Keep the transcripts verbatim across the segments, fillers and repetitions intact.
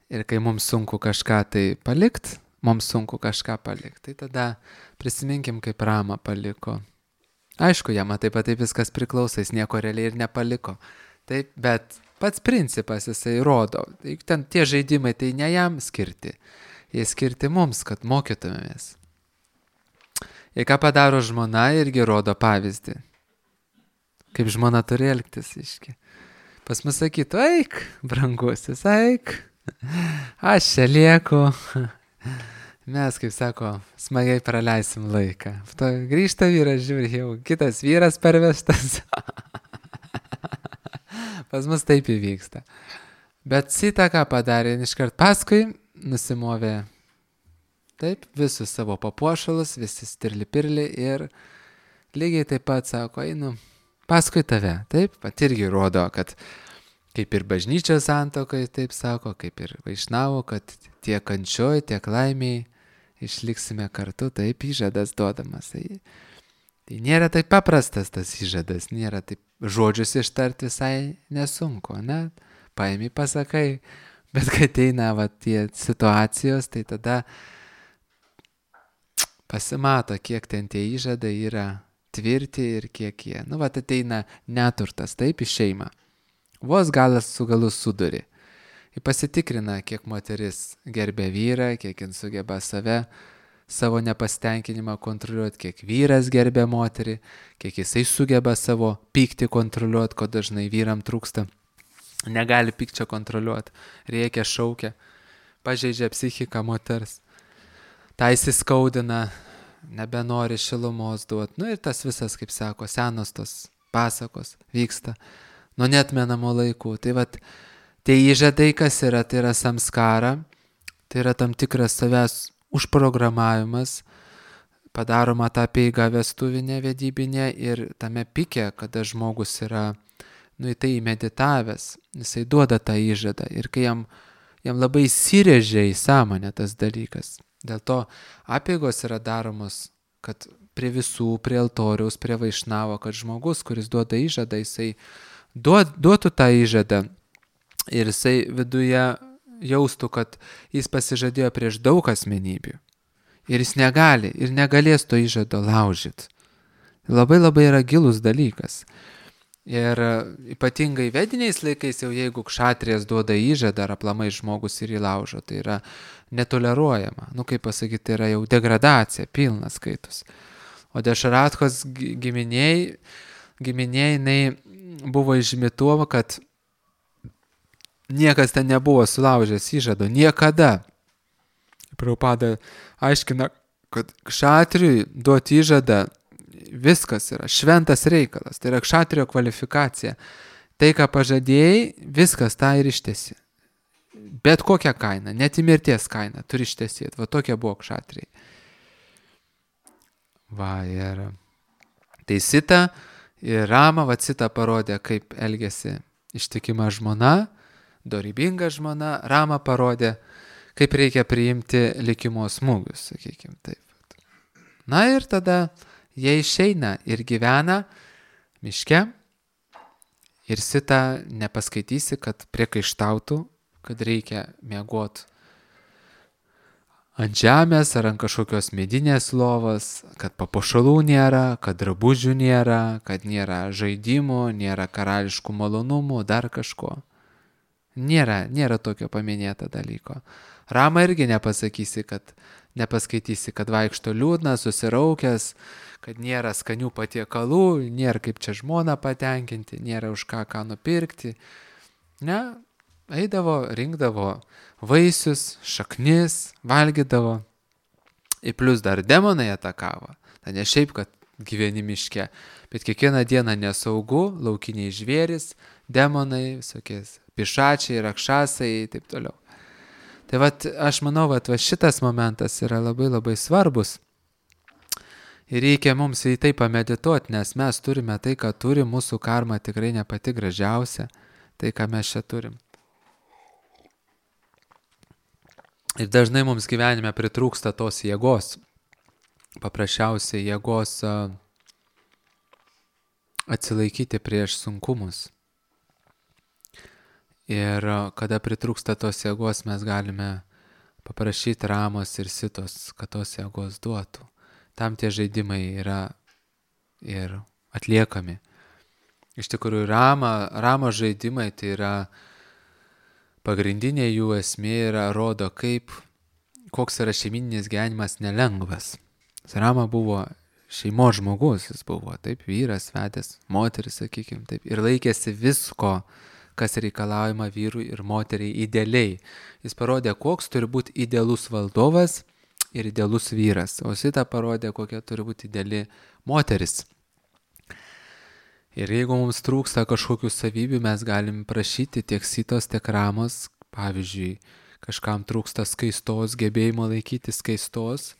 Ir kai mums sunku kažką tai palikt, mums sunku kažką palikt, tai tada prisiminkim, kaip Ramą paliko. Aišku, jam taip pat taip viskas priklauso, jis nieko realiai ir nepaliko. Taip, bet pats principas jisai rodo. Ten tie žaidimai tai ne jam skirti. Jie skirti mums, kad mokytumėmės. Ir ką padaro žmona, irgi rodo pavyzdį. Kaip žmona turi elgtis, iški. Pas mus sakytų, eik, brangusis, eik. Aš čia lieku. Mes, kaip sako, smagiai praleisim laiką. To grįžta vyras, žiūri, jau kitas vyras pervestas. Pas mus taip įvyksta. Bet Sita ką padarė, iškart paskui nusimovė taip, visus savo papuošalus, visi stirli pirli ir lygiai taip pat sako, einu paskui tave. Taip, pat irgi rodo, kad kaip ir bažnyčios santuokai, taip sako, kaip ir vaišnavo, kad tiek kančioj, tiek laimiai išliksime kartu, taip įžadas duodamas. Tai, tai nėra taip paprastas tas įžadas, nėra taip žodžius ištart visai nesunku, ne? Paimi pasakai, bet kai ateina va, tie situacijos, tai tada pasimato, kiek ten tie įžadai yra tvirti ir kiek jie. Nu, va, ateina neturtas, taip, į šeimą. Vos galas su galu suduri. Ir pasitikrina, kiek moteris gerbė vyrą, kiek jin sugeba save, savo nepastenkinimą kontroliuoti, kiek vyras gerbė moterį, kiek jisai sugeba savo pyktį kontroliuoti, ko dažnai vyram trūksta. Negali pykčio kontroliuoti, reikia šaukia, pažeidžia psichiką moters, tai įsiskaudina, nebenori šilumos duoti. Nu ir tas visas, kaip sako, senos tos pasakos vyksta nuo neatmenamo laikų. Tai vat, tie įžadai, kas yra, tai yra samskara, tai yra tam tikras savęs užprogramavimas, padaroma tą peigą vestuvinę, vedybinę ir tame pike, kada žmogus yra, nu, į tai meditavęs, jisai duoda tą įžadą ir kai jam, jam labai įsirėžia į sąmonę tas dalykas. Dėl to apeigos yra daromos, kad prie visų, prie altoriaus, prie vaišnavo, kad žmogus, kuris duoda įžadą, jisai duot, duotų tą įžadą ir jisai viduje jaustų, kad jis pasižadėjo prieš daug asmenybių. Ir jis negali ir negalės to įžado laužyti. Labai labai yra gilus dalykas. Ir ypatingai vediniais laikais, jau jeigu kšatrijas duoda įžadą ar aplamai žmogus ir įlaužo, tai yra netoleruojama. Nu, kaip pasakyti, tai yra jau degradacija, pilnas skaitus. O Dešaratkos giminiai, giminiai, jinai buvo išimituoma, kad niekas ten nebuvo sulaužęs įžado, niekada. Prabhupada aiškina, kad kšatriui duoti įžadą viskas yra šventas reikalas, tai yra kšatrio kvalifikacija. Tai, ką pažadėjai, viskas tą ir ištesi. Bet kokią kainą, net į mirties kainą turi ištesėti. Va tokie buvo kšatriai. Va ir tai Sita ir Rama, va Sita parodė, kaip elgėsi ištikima žmona, dorybinga žmona. Rama parodė, kaip reikia priimti likimo smūgius, sakykime taip. Na ir tada jie išeina ir gyvena miške ir Sita nepaskaitysi, kad priekaištautų, kad reikia miegoti ant žemės ar ant kažkokios medinės lovos, kad papuošalų nėra, kad drabužių nėra, kad nėra žaidimų, nėra karališkų malonumų, dar kažko. Nėra, nėra tokio paminėto dalyko. Rama irgi nepasakysi, kad nepaskaitysi, kad vaikšto liūdnas, susiraukęs, kad nėra skanių patiekalų, nėra kaip čia žmoną patenkinti, nėra už ką ką nupirkti. Ne, eidavo, rinkdavo vaisius, šaknis, valgydavo. Ir plus dar demonai atakavo. Tai ne šiaip, kad gyveni miške, bet kiekvieną dieną nesaugu, laukiniai žvėris, demonai, visokies pišačiai, rakšasai ir taip toliau. Tai vat, aš manau, vat, va šitas momentas yra labai labai svarbus. Ir reikia mums į tai pamedituoti, nes mes turime tai, ką turi, mūsų karma tikrai ne pati gražiausia, tai, ką mes čia turim. Ir dažnai mums gyvenime pritrūksta tos jėgos, paprasčiausiai jėgos atsilaikyti prieš sunkumus. Ir kada pritrūksta tos jėgos, mes galime paprašyti Ramos ir Sitos, kad tos jėgos duotų. Tam tie žaidimai yra ir atliekami. Iš tikrųjų, Rama, Ramo žaidimai tai yra pagrindinė jų esmė yra rodo, kaip, koks yra šeimininis gyvenimas nelengvas. Rama buvo šeimos žmogus, jis buvo taip, vyras, vedęs, moteris, sakykime, taip, ir laikėsi visko, kas reikalaujama vyrui ir moteriai idealiai. Jis parodė, koks turi būti idealus valdovas ir idealus vyras, o Sita parodė, kokia turi būti ideali moteris. Ir jeigu mums trūksta kažkokių savybių, mes galim prašyti tiek Sitos, tiek Ramos, pavyzdžiui, kažkam trūksta skaistos, gebėjimo laikyti skaistos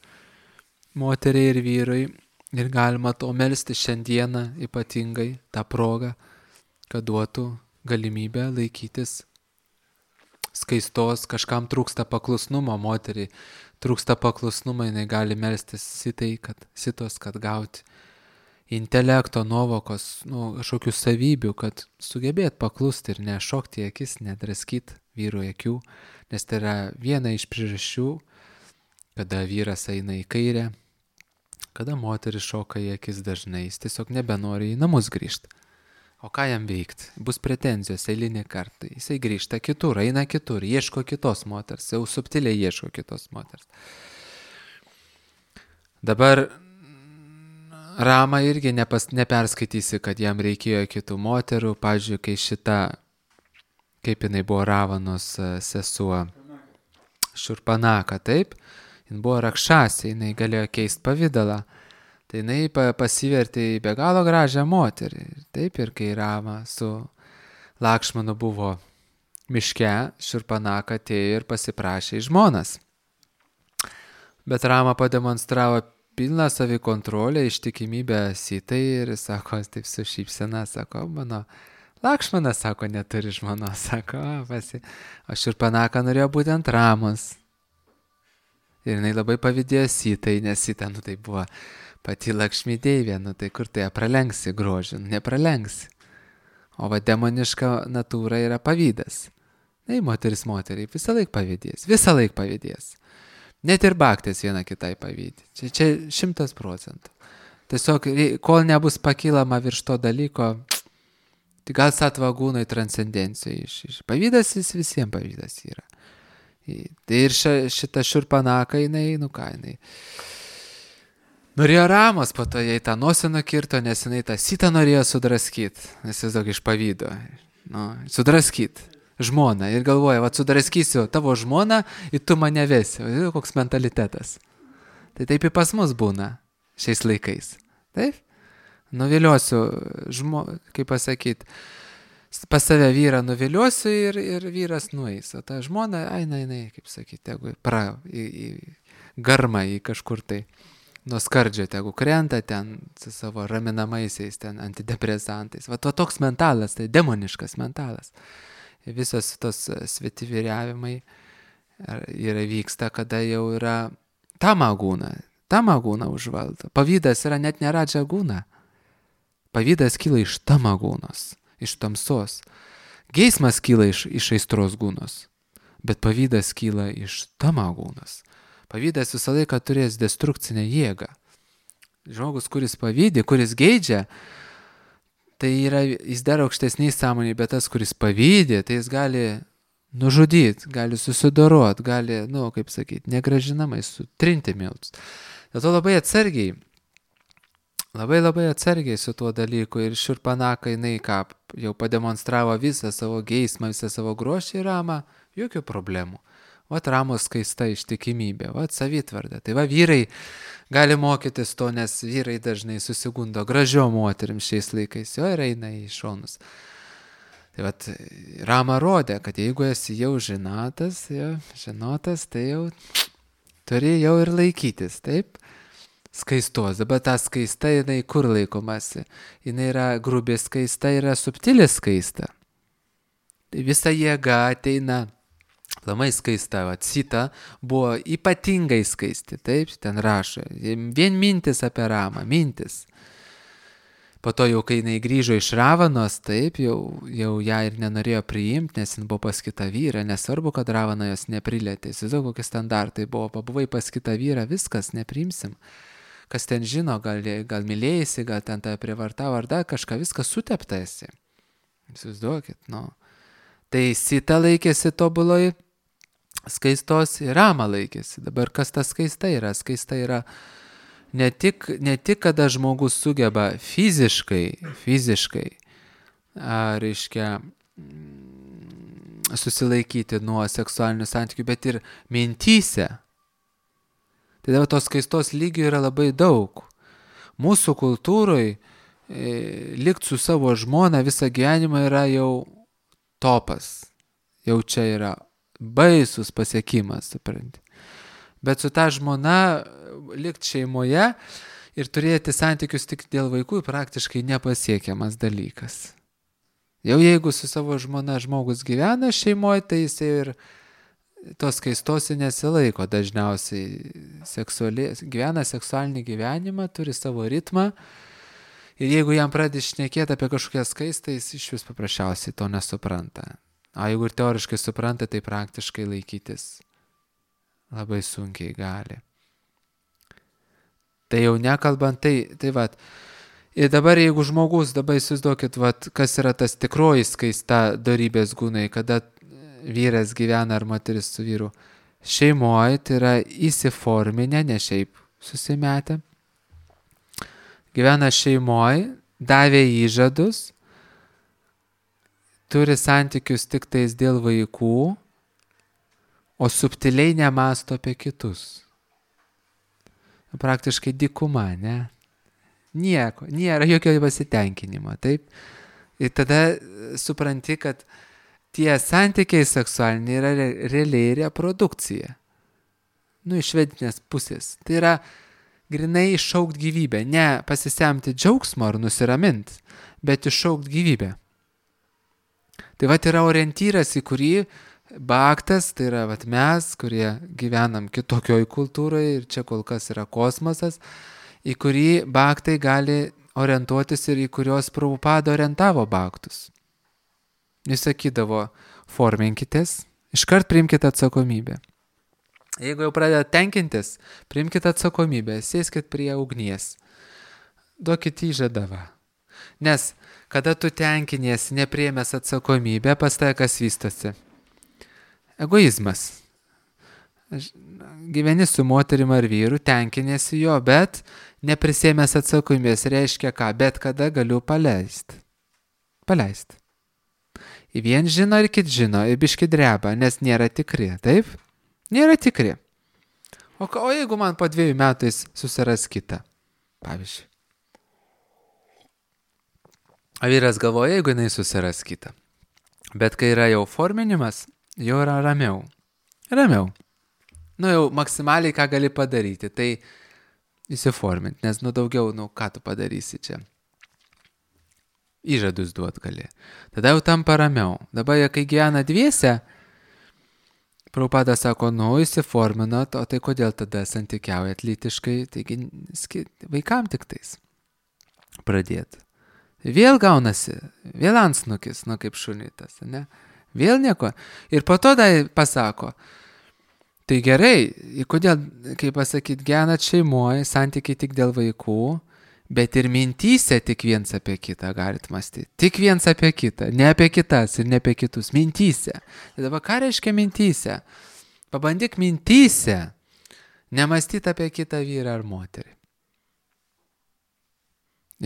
moteriai ir vyrai, ir galima to melsti šiandieną ypatingai tą progą, kad duotų galimybę laikytis skaistos, kažkam trūksta paklusnumo moteriai, trūksta paklusnumo, jinai gali melstis Sitai, kad Sitos, kad gauti intelekto, nuovokos, nu, kažkokių savybių, kad sugebėt paklusti ir nešokti į akis, nedraskyti vyro akių, nes tai yra viena iš priežasčių, kada vyras eina į kairę, kada moteris šoka į akis dažnai, jis tiesiog nebenori į namus grįžti. O ką jam veikti? Bus pretenzijos eilinį kartą. Jisai grįžta kitur, eina kitur, ieško kitos moters, jau subtiliai ieško kitos moters. Dabar Rama irgi nepas, neperskaitysi, kad jam reikėjo kitų moterų. Pavyzdžiui, kai šita, kaip jinai buvo Ravanos sesuo, Šurpanaka, taip, jin buvo rakšasė, jinai galėjo keisti pavidalą. Tai jinai pasivertė į be galo gražią moterį. Taip, ir kai Rama su Lakšmanu buvo miške, Šurpanaka atėjo ir pasiprašė į žmonas. Bet Rama pademonstravo pilną savikontrolę, ištikimybę Sitai ir sako, taip su šypsena, sako, mano Lakšmanas, sako, neturi žmonos, sako, pasi. O Šurpanaka norėjo būtent Ramos. Ir jinai labai pavydėjo Sitai, nes Sita, nu tai buvo pati Lakšmi deivė, nu tai kur tai pralenksi grožį, nu nepralenksi. O va demoniška natūra yra pavydas. Na, moteris moteriai visą laik pavydės, visą laik pavydės. Net ir baktės viena kitai pavydė. Čia, čia šimtas procentų. Tiesiog, kol nebus pakilama virš to dalyko, tai gal satvagūnai transcendencijai iš, iš. Pavydas jis visiems pavydas yra. Tai ir šita Šurpanaka, jinai, nu ką, jinai norėjo Ramos, po to jai tą nosį nukirto, nes jinai tą Sitą norėjo sudraskyti, nes jis daug iš pavydo. Nu, sudraskyti žmoną ir galvoja, va sudraskysiu tavo žmoną ir tu mane vesi. Koks mentalitetas. Tai taip ir pas mus būna šiais laikais. Taip? Nuviliosiu, žmo, kaip pasakyti, pas save vyrą nuviliosiu ir, ir vyras nueis. O ta žmona, eina, eina, kaip sakyti, tegu pra, į, į garmą, į kažkur tai nuo skardžio, tegu krenta ten su savo raminamaisiais, ten antidepresantais. Va to toks mentalas, tai demoniškas mentalas. Visos tos svetivyriavimai yra vyksta, kada jau yra tamagūna. Tamagūna užvaldo. Pavydas yra net ne radžagūna. Pavydas kyla iš tamagūnos, iš tamsos. Geismas kyla iš, iš aistros gūnos, bet pavydas kyla iš tamagūnos. Pavydas visą laiką turės destrukcinę jėgą. Žmogus, kuris pavydi, kuris geidžia, tai yra, jis dar aukštesniai sąmonė, bet tas, kuris pavydė, tai jis gali nužudyti, gali susidoroti, gali, nu, kaip sakyti, negražinamai sutrinti miltus. Dėl to labai atsargiai, labai labai atsargiai su tuo dalyku ir Šurpanaka, jinai ką, jau pademonstravo visą savo geismą, visą savo grožį ir Ramą, jokių problemų. Vat Ramos skaista ištikimybė, vat savitvarda. Tai va vyrai gali mokytis to, nes vyrai dažnai susigundo gražio moterim šiais laikais, jo ir eina į šonus. Tai vat Rama rodė, kad jeigu esi jau žinotas, jau, žinotas, tai jau turi jau ir laikytis, taip? Skaistos. Dabar ta skaista, jinai kur laikomasi? Jinai yra grubi skaista, yra subtili skaista. Tai visa jėga ateina. Lamai skaista, va, Sita buvo ypatingai skaisti, taip, ten rašo, vien mintis apie Ramą, mintis. Po to jau, kai jinai grįžo iš Ravanos, taip, jau, jau ją ir nenorėjo priimti, nes jin buvo pas kitą vyrą, nesvarbu, kad Ravana jos neprilėtė. Įsivaizduok, kokie standartai buvo, pabuvai pas kitą vyrą, viskas, nepriimsim. Kas ten žino, gal, gal mylėjasi, gal ten tave prievartavo ar dar kažką, viskas sutepta esi. Įsivaizduokit, nu. Tai Sita laikėsi tobuloj, skaistos ir Rama laikėsi. Dabar kas ta skaista yra? Skaista yra ne tik, ne tik kada žmogus sugeba fiziškai, fiziškai, a, reiškia, susilaikyti nuo seksualinių santykių, bet ir mintyse. Tai dabar tos skaistos lygių yra labai daug. Mūsų kultūroje e, likti su savo žmona visą gyvenimą yra jau topas. Jau čia yra baisus pasiekimas, supranti. Bet su ta žmona likti šeimoje ir turėti santykius tik dėl vaikų praktiškai nepasiekiamas dalykas. Jau jeigu su savo žmona žmogus gyvena šeimoje, tai jis ir tos skaistos nesilaiko dažniausiai, seksuali, gyvena seksualinį gyvenimą, turi savo ritmą ir jeigu jam pradedi šnekėti apie kažkokią skaistą, jis iš vis paprasčiausiai to nesupranta. O jeigu ir teoriškai supranta, tai praktiškai laikytis labai sunkiai gali. Tai jau nekalbant, tai, tai vat. Ir dabar jeigu žmogus, dabar įsivaizduokit, vat, kas yra tas tikroji skaista dorybės gūnai, kada vyras gyvena ar moteris su vyru šeimoje, tai yra įsiforminę, ne šiaip susimetę. Gyvena šeimoje, davė įžadus, turi santykius tik tais dėl vaikų, o subtiliai nemąsto apie kitus. Praktiškai dykuma, ne? Nieko, nėra jokio pasitenkinimo, taip? Ir tada supranti, kad tie santykiai seksualiniai yra realiai reprodukcija. Nu, iš vedinės pusės. Tai yra grinai iššaukt gyvybę, ne pasisemti džiaugsmo ar nusiraminti, bet iššaukt gyvybę. Tai vat yra orientyras, į kurį baktas, tai yra vat mes, kurie gyvenam kitokioj kultūroje ir čia kol kas yra kosmosas, į kurį baktai gali orientuotis ir į kurios Prabhupada orientavo baktus. Jis sakydavo, forminkitės, iškart priimkite atsakomybę. Jeigu jau pradeda tenkintis, priimkite atsakomybę, sėskit prie ugnies, duokit įžadavą. Nes kada tu tenkiniesi nepriėmęs atsakomybę, pas tai kas vystosi? Egoizmas. Gyveni su moterim ar vyru, tenkiniesi jo, bet neprisėmęs atsakomybės reiškia ką, bet kada galiu paleisti. Paleisti. Į vien žino ir kit žino, ir biški dreba, nes nėra tikri, taip? Nėra tikri. O, o jeigu man po dviejų metais susiras kitą, pavyzdžiui. O vyras galvoja, jeigu jinai susiras kitą. Bet kai yra jau forminimas, jau yra ramiau. Ramiau. Nu jau maksimaliai ką gali padaryti, tai įsiforminti, nes nu daugiau, nu ką tu padarysi čia. Įžadus duot gali. Tada jau tampa ramiau. Dabar, kai gyvena dviese, Prabhupada sako, nu įsiforminat, o tai kodėl tada santykiaujat lytiškai, taigi vaikam tik tais pradėti. Vėl gaunasi, vėl antsnukis, nu kaip šunitas, ne? Vėl nieko. Ir po to dar pasako, tai gerai, kodėl, kaip pasakyti, gyvenat šeimoje, santykiai tik dėl vaikų, bet ir mintyse tik viens apie kitą galit mąstyti. Tik viens apie kitą, ne apie kitas ir ne apie kitus, mintyse. Ir dabar ką reiškia mintyse? Pabandyk mintyse nemąstyti apie kitą vyrą ar moterį.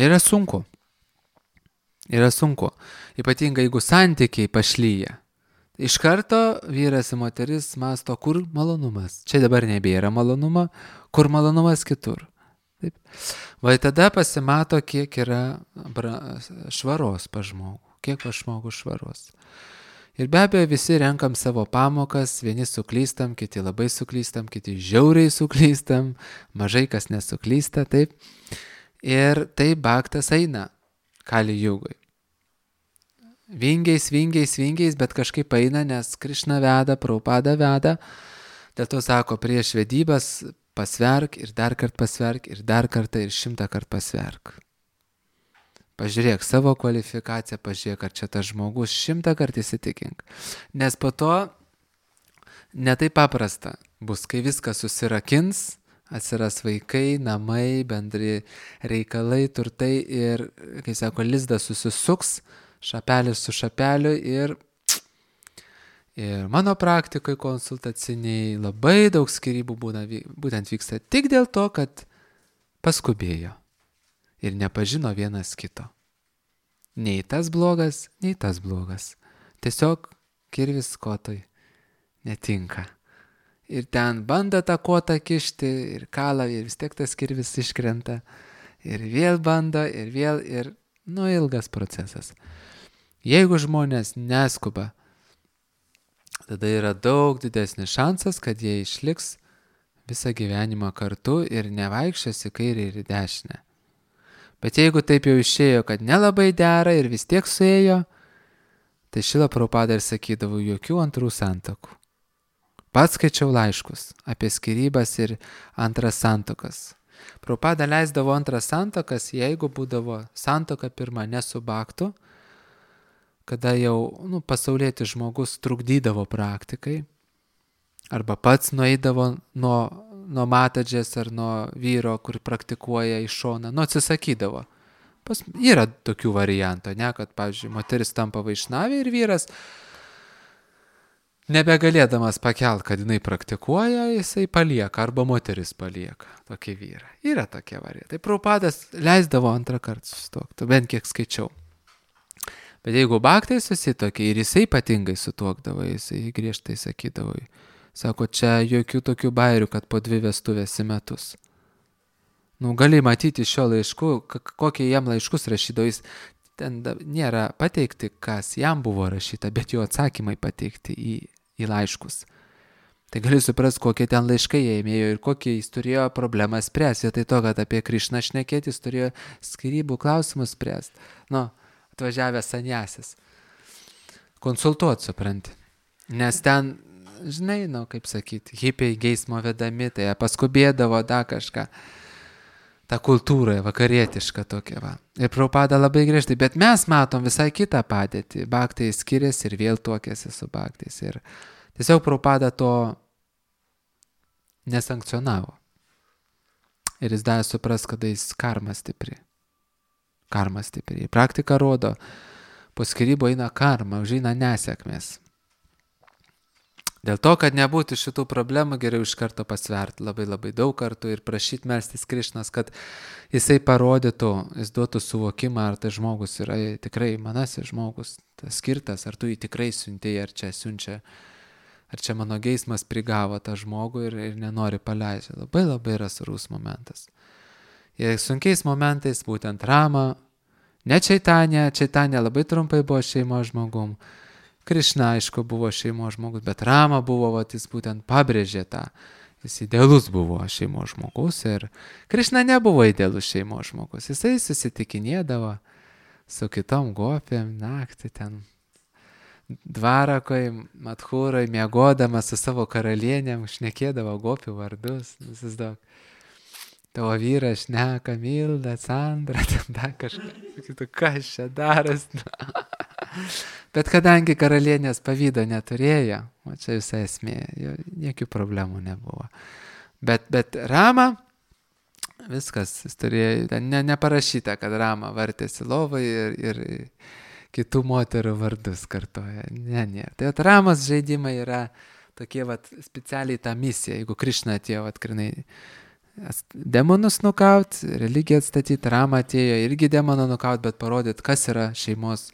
Yra sunku. Yra sunku. Ypatingai, jeigu santykiai pašlyja. Iš karto vyras ir moteris mąsto, kur malonumas. Čia dabar nebėra malonumo, kur malonumas kitur. Taip. Va tada pasimato, kiek yra švaros pa žmogų. Kiek pa žmogų švaros. Ir be abejo visi renkam savo pamokas, vieni suklystam, kiti labai suklystam, kiti žiauriai suklystam, mažai kas nesuklysta, taip. Ir tai baktas eina Kali Jugoj. Vingiais, vingiais, vingiais, bet kažkaip eina, nes Krišna veda, Prabhupada veda. Dėl to sako, prieš vedybas pasverk ir dar kart pasverk ir dar kartą ir šimtą kart pasverk. Pažiūrėk savo kvalifikaciją, pažiūrėk, ar čia tas žmogus, šimtą kartų įsitikink. Nes po to netai paprasta bus, kai viskas susirakins, atsiras vaikai, namai, bendri reikalai, turtai ir, kai sako, lizdas susisuks, šapelis su šapeliu ir, ir mano praktikoje konsultaciniai labai daug skyrybų būna, būtent vyksta tik dėl to, kad paskubėjo ir nepažino vienas kito. Nei tas blogas, nei tas blogas. Tiesiog kirvis kotui netinka. Ir ten bando tą kotą kišti ir kala ir vis tiek tas kirvis iškrenta. Ir vėl bando ir vėl ir, nu, ilgas procesas. Jeigu žmonės neskuba, tada yra daug didesnis šansas, kad jie išliks visą gyvenimą kartu ir nevaikščios į kairę ir į dešinę. Bet jeigu taip jau išėjo, kad nelabai dera ir vis tiek suėjo, tai Šrila Prabhupada ir sakydavo jokių antrų santuokų. Pats skaičiau laiškus apie skyrybas ir antras santuokas. Prabhupada leisdavo antras santuokas, jeigu būdavo santuoka pirma nesubaktų, kada jau nu, pasaulietis žmogus trukdydavo praktikai, arba pats nueidavo nuo, nuo matadžės ar nuo vyro, kur praktikuoja į šoną, nu atsisakydavo. Pas, yra tokių variantų, ne, kad, pavyzdžiui, moteris tampa vaišnavė ir vyras, nebegalėdamas pakelt, kad jinai praktikuoja, jisai palieka, arba moteris palieka tokį vyrą. Yra tokie variantai. Tai Prabhupadas leisdavo antrą kartą susituokti, bent kiek skaičiau. Bet jeigu baktai susitokė ir jisai ypatingai sutuokdavo, jisai griežtai sakydavo, sako, čia jokių tokių bairių, kad po dvi vestuvės į metus. Nu, gali matyti šio laiškų, kokie jam laiškus rašydavo, jis ten nėra pateikti, kas jam buvo rašyta, bet jo atsakymai pateikti į, į laiškus. Tai gali suprasti, kokie ten laiškai jie ėmėjo ir kokie jis turėjo problemą spręsti. Tai to, kad apie Krišną šnekėti, jis turėjo skyrybų klausimus spręsti. Nu, atvažiavęs sanjasis. Konsultuot, supranti. Nes ten, žinai, nu, kaip sakyti, hipiai geismo vedami, tai paskubėdavo da kažką. Ta kultūra vakarietiška tokia va. Ir Prabhupada labai griežtai, bet mes matom visai kitą padėtį. Bhaktai skiriasi ir vėl tuokėsi su bhaktais. Ir tiesiog Prabhupada to nesankcionavo. Ir jis davė supras, kada jis karma stipri. Karma stipri. Praktika rodo, po skyrybų eina karma, užeina nesėkmės. Dėl to, kad nebūtų šitų problemų, geriau iš karto pasverti labai labai daug kartų ir prašyti melstis Krišnos, kad jisai parodytų, jis duotų suvokimą, ar tai žmogus yra tikrai manasis žmogus, tas skirtas, ar tu jį tikrai siuntėjai, ar čia siunčia, ar čia mano geismas prigavo tą žmogų ir, ir nenori paleisti. Labai labai yra svarus momentas. Ir sunkiais momentais būtent Rama, ne Čaitanė, Čaitanė labai trumpai buvo šeimos žmogum, Krišna, aišku, buvo šeimos žmogus, bet Rama buvo, vat, jis būtent pabrėžė tą, jis idealus buvo šeimos žmogus ir Krišna nebuvo idealus šeimos žmogus, jisai susitikinėdavo su kitom gopėm naktį ten dvarakoj, Madhūroj, miegodamas su savo karalienėm, šnekėdavo gopių vardus, visus daug. Tavo vyras šneka, Milda, Sandra, ten dar kažką, sakytų, kas čia daras. Bet kadangi karalienės pavydo neturėjo, o čia visa esmė, jokių problemų nebuvo. Bet, bet Rama, viskas, jis turėjo, ne, neparašyta, kad Rama vartėsi lovai ir, ir kitų moterų vardus kartoja. Ne, ne. Tai at Ramos žaidimai yra tokie vat, specialiai ta misija, jeigu Krišna atėjo, vat, krinai, demonus nukaut, religiją atstatyti, Rama atėjo irgi demoną nukaut, bet parodyt, kas yra šeimos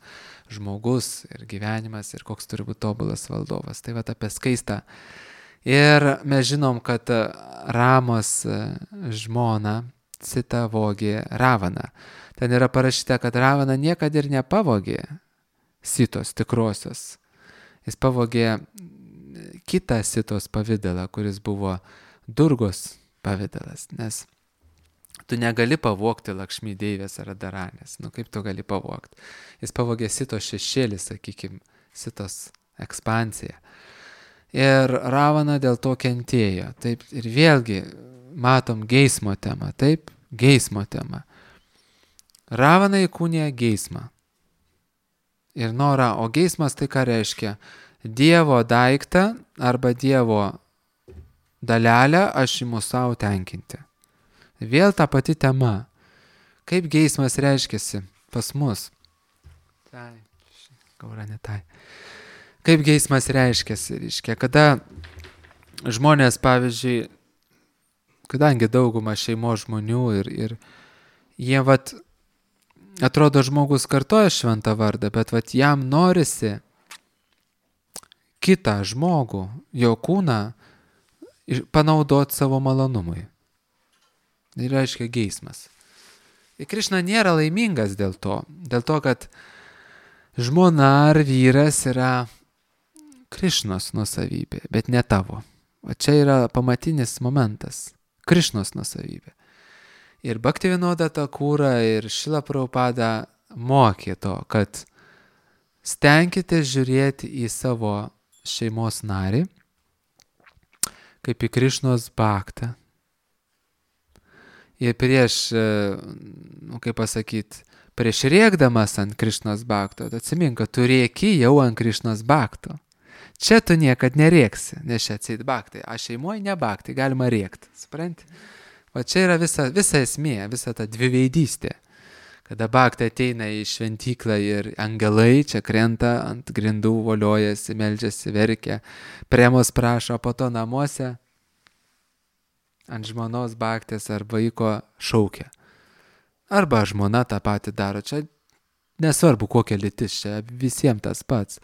žmogus ir gyvenimas ir koks turi būti tobulas valdovas. Tai va apie skaistą. Ir mes žinom, kad Ramos žmona Sita vogė Ravaną. Ten yra parašyta, kad Ravana niekada ir nepavogė Sitos tikrosios. Jis pavogė kitą Sitos pavidalą, kuris buvo Durgos pavidalas, nes tu negali pavogti Lakšmi deivės ar Daranės. Nu kaip tu gali pavogti? Jis pavogė Sitos šešėlį, sakykime, Sitos ekspansiją. Ir Ravana dėl to kentėjo. Taip, ir vėlgi matom geismo temą. Taip, geismo temą. Ravana įkūnija geismą. Ir norą, o geismas tai ką reiškia? Dievo daiktą arba Dievo dalelę aš imu savo tenkinti. Vėl ta pati tema. Kaip geismas reiškiasi pas mus? Tai, gaura ne tai. Kaip geismas reiškiasi? Reiškia, kada žmonės, pavyzdžiui, kadangi dauguma šeimos žmonių ir, ir jie vat, atrodo žmogus kartoja šventą vardą, bet vat jam norisi kitą žmogų, jo kūną panaudoti savo malonumui. Tai reiškia geismas. Ir Krišna nėra laimingas dėl to, dėl to, kad žmona ar vyras yra Krišnos nuosavybė, bet ne tavo. O čia yra pamatinis momentas. Krišnos nuosavybė. Ir Bhaktivinoda Thakura ir Šrila Prabhupada mokė to, kad stenkite žiūrėti į savo šeimos narį kaip į Krišnos bhaktą. Ir prieš, nu, kaip pasakyti, prieš rėkdamas ant Krišnos bhakto, atsimink, kad tu rėki jau ant Krišnos bhakto. Čia tu niekad nerėksi, nes čia atseit bhaktai. A šeimoje ne bhaktai, galima rėkti, supranti? O čia yra visa, visa esmė, visa ta dviveidystė. Kada bhaktai ateina į šventyklą ir angelai čia krenta ant grindų, voliojasi, meldžiasi, verkia, premos prašo, po to namuose ant žmonos bhaktės ar vaiko šaukia. Arba žmona tą patį daro. Čia nesvarbu kokia lytis, čia visiems tas pats.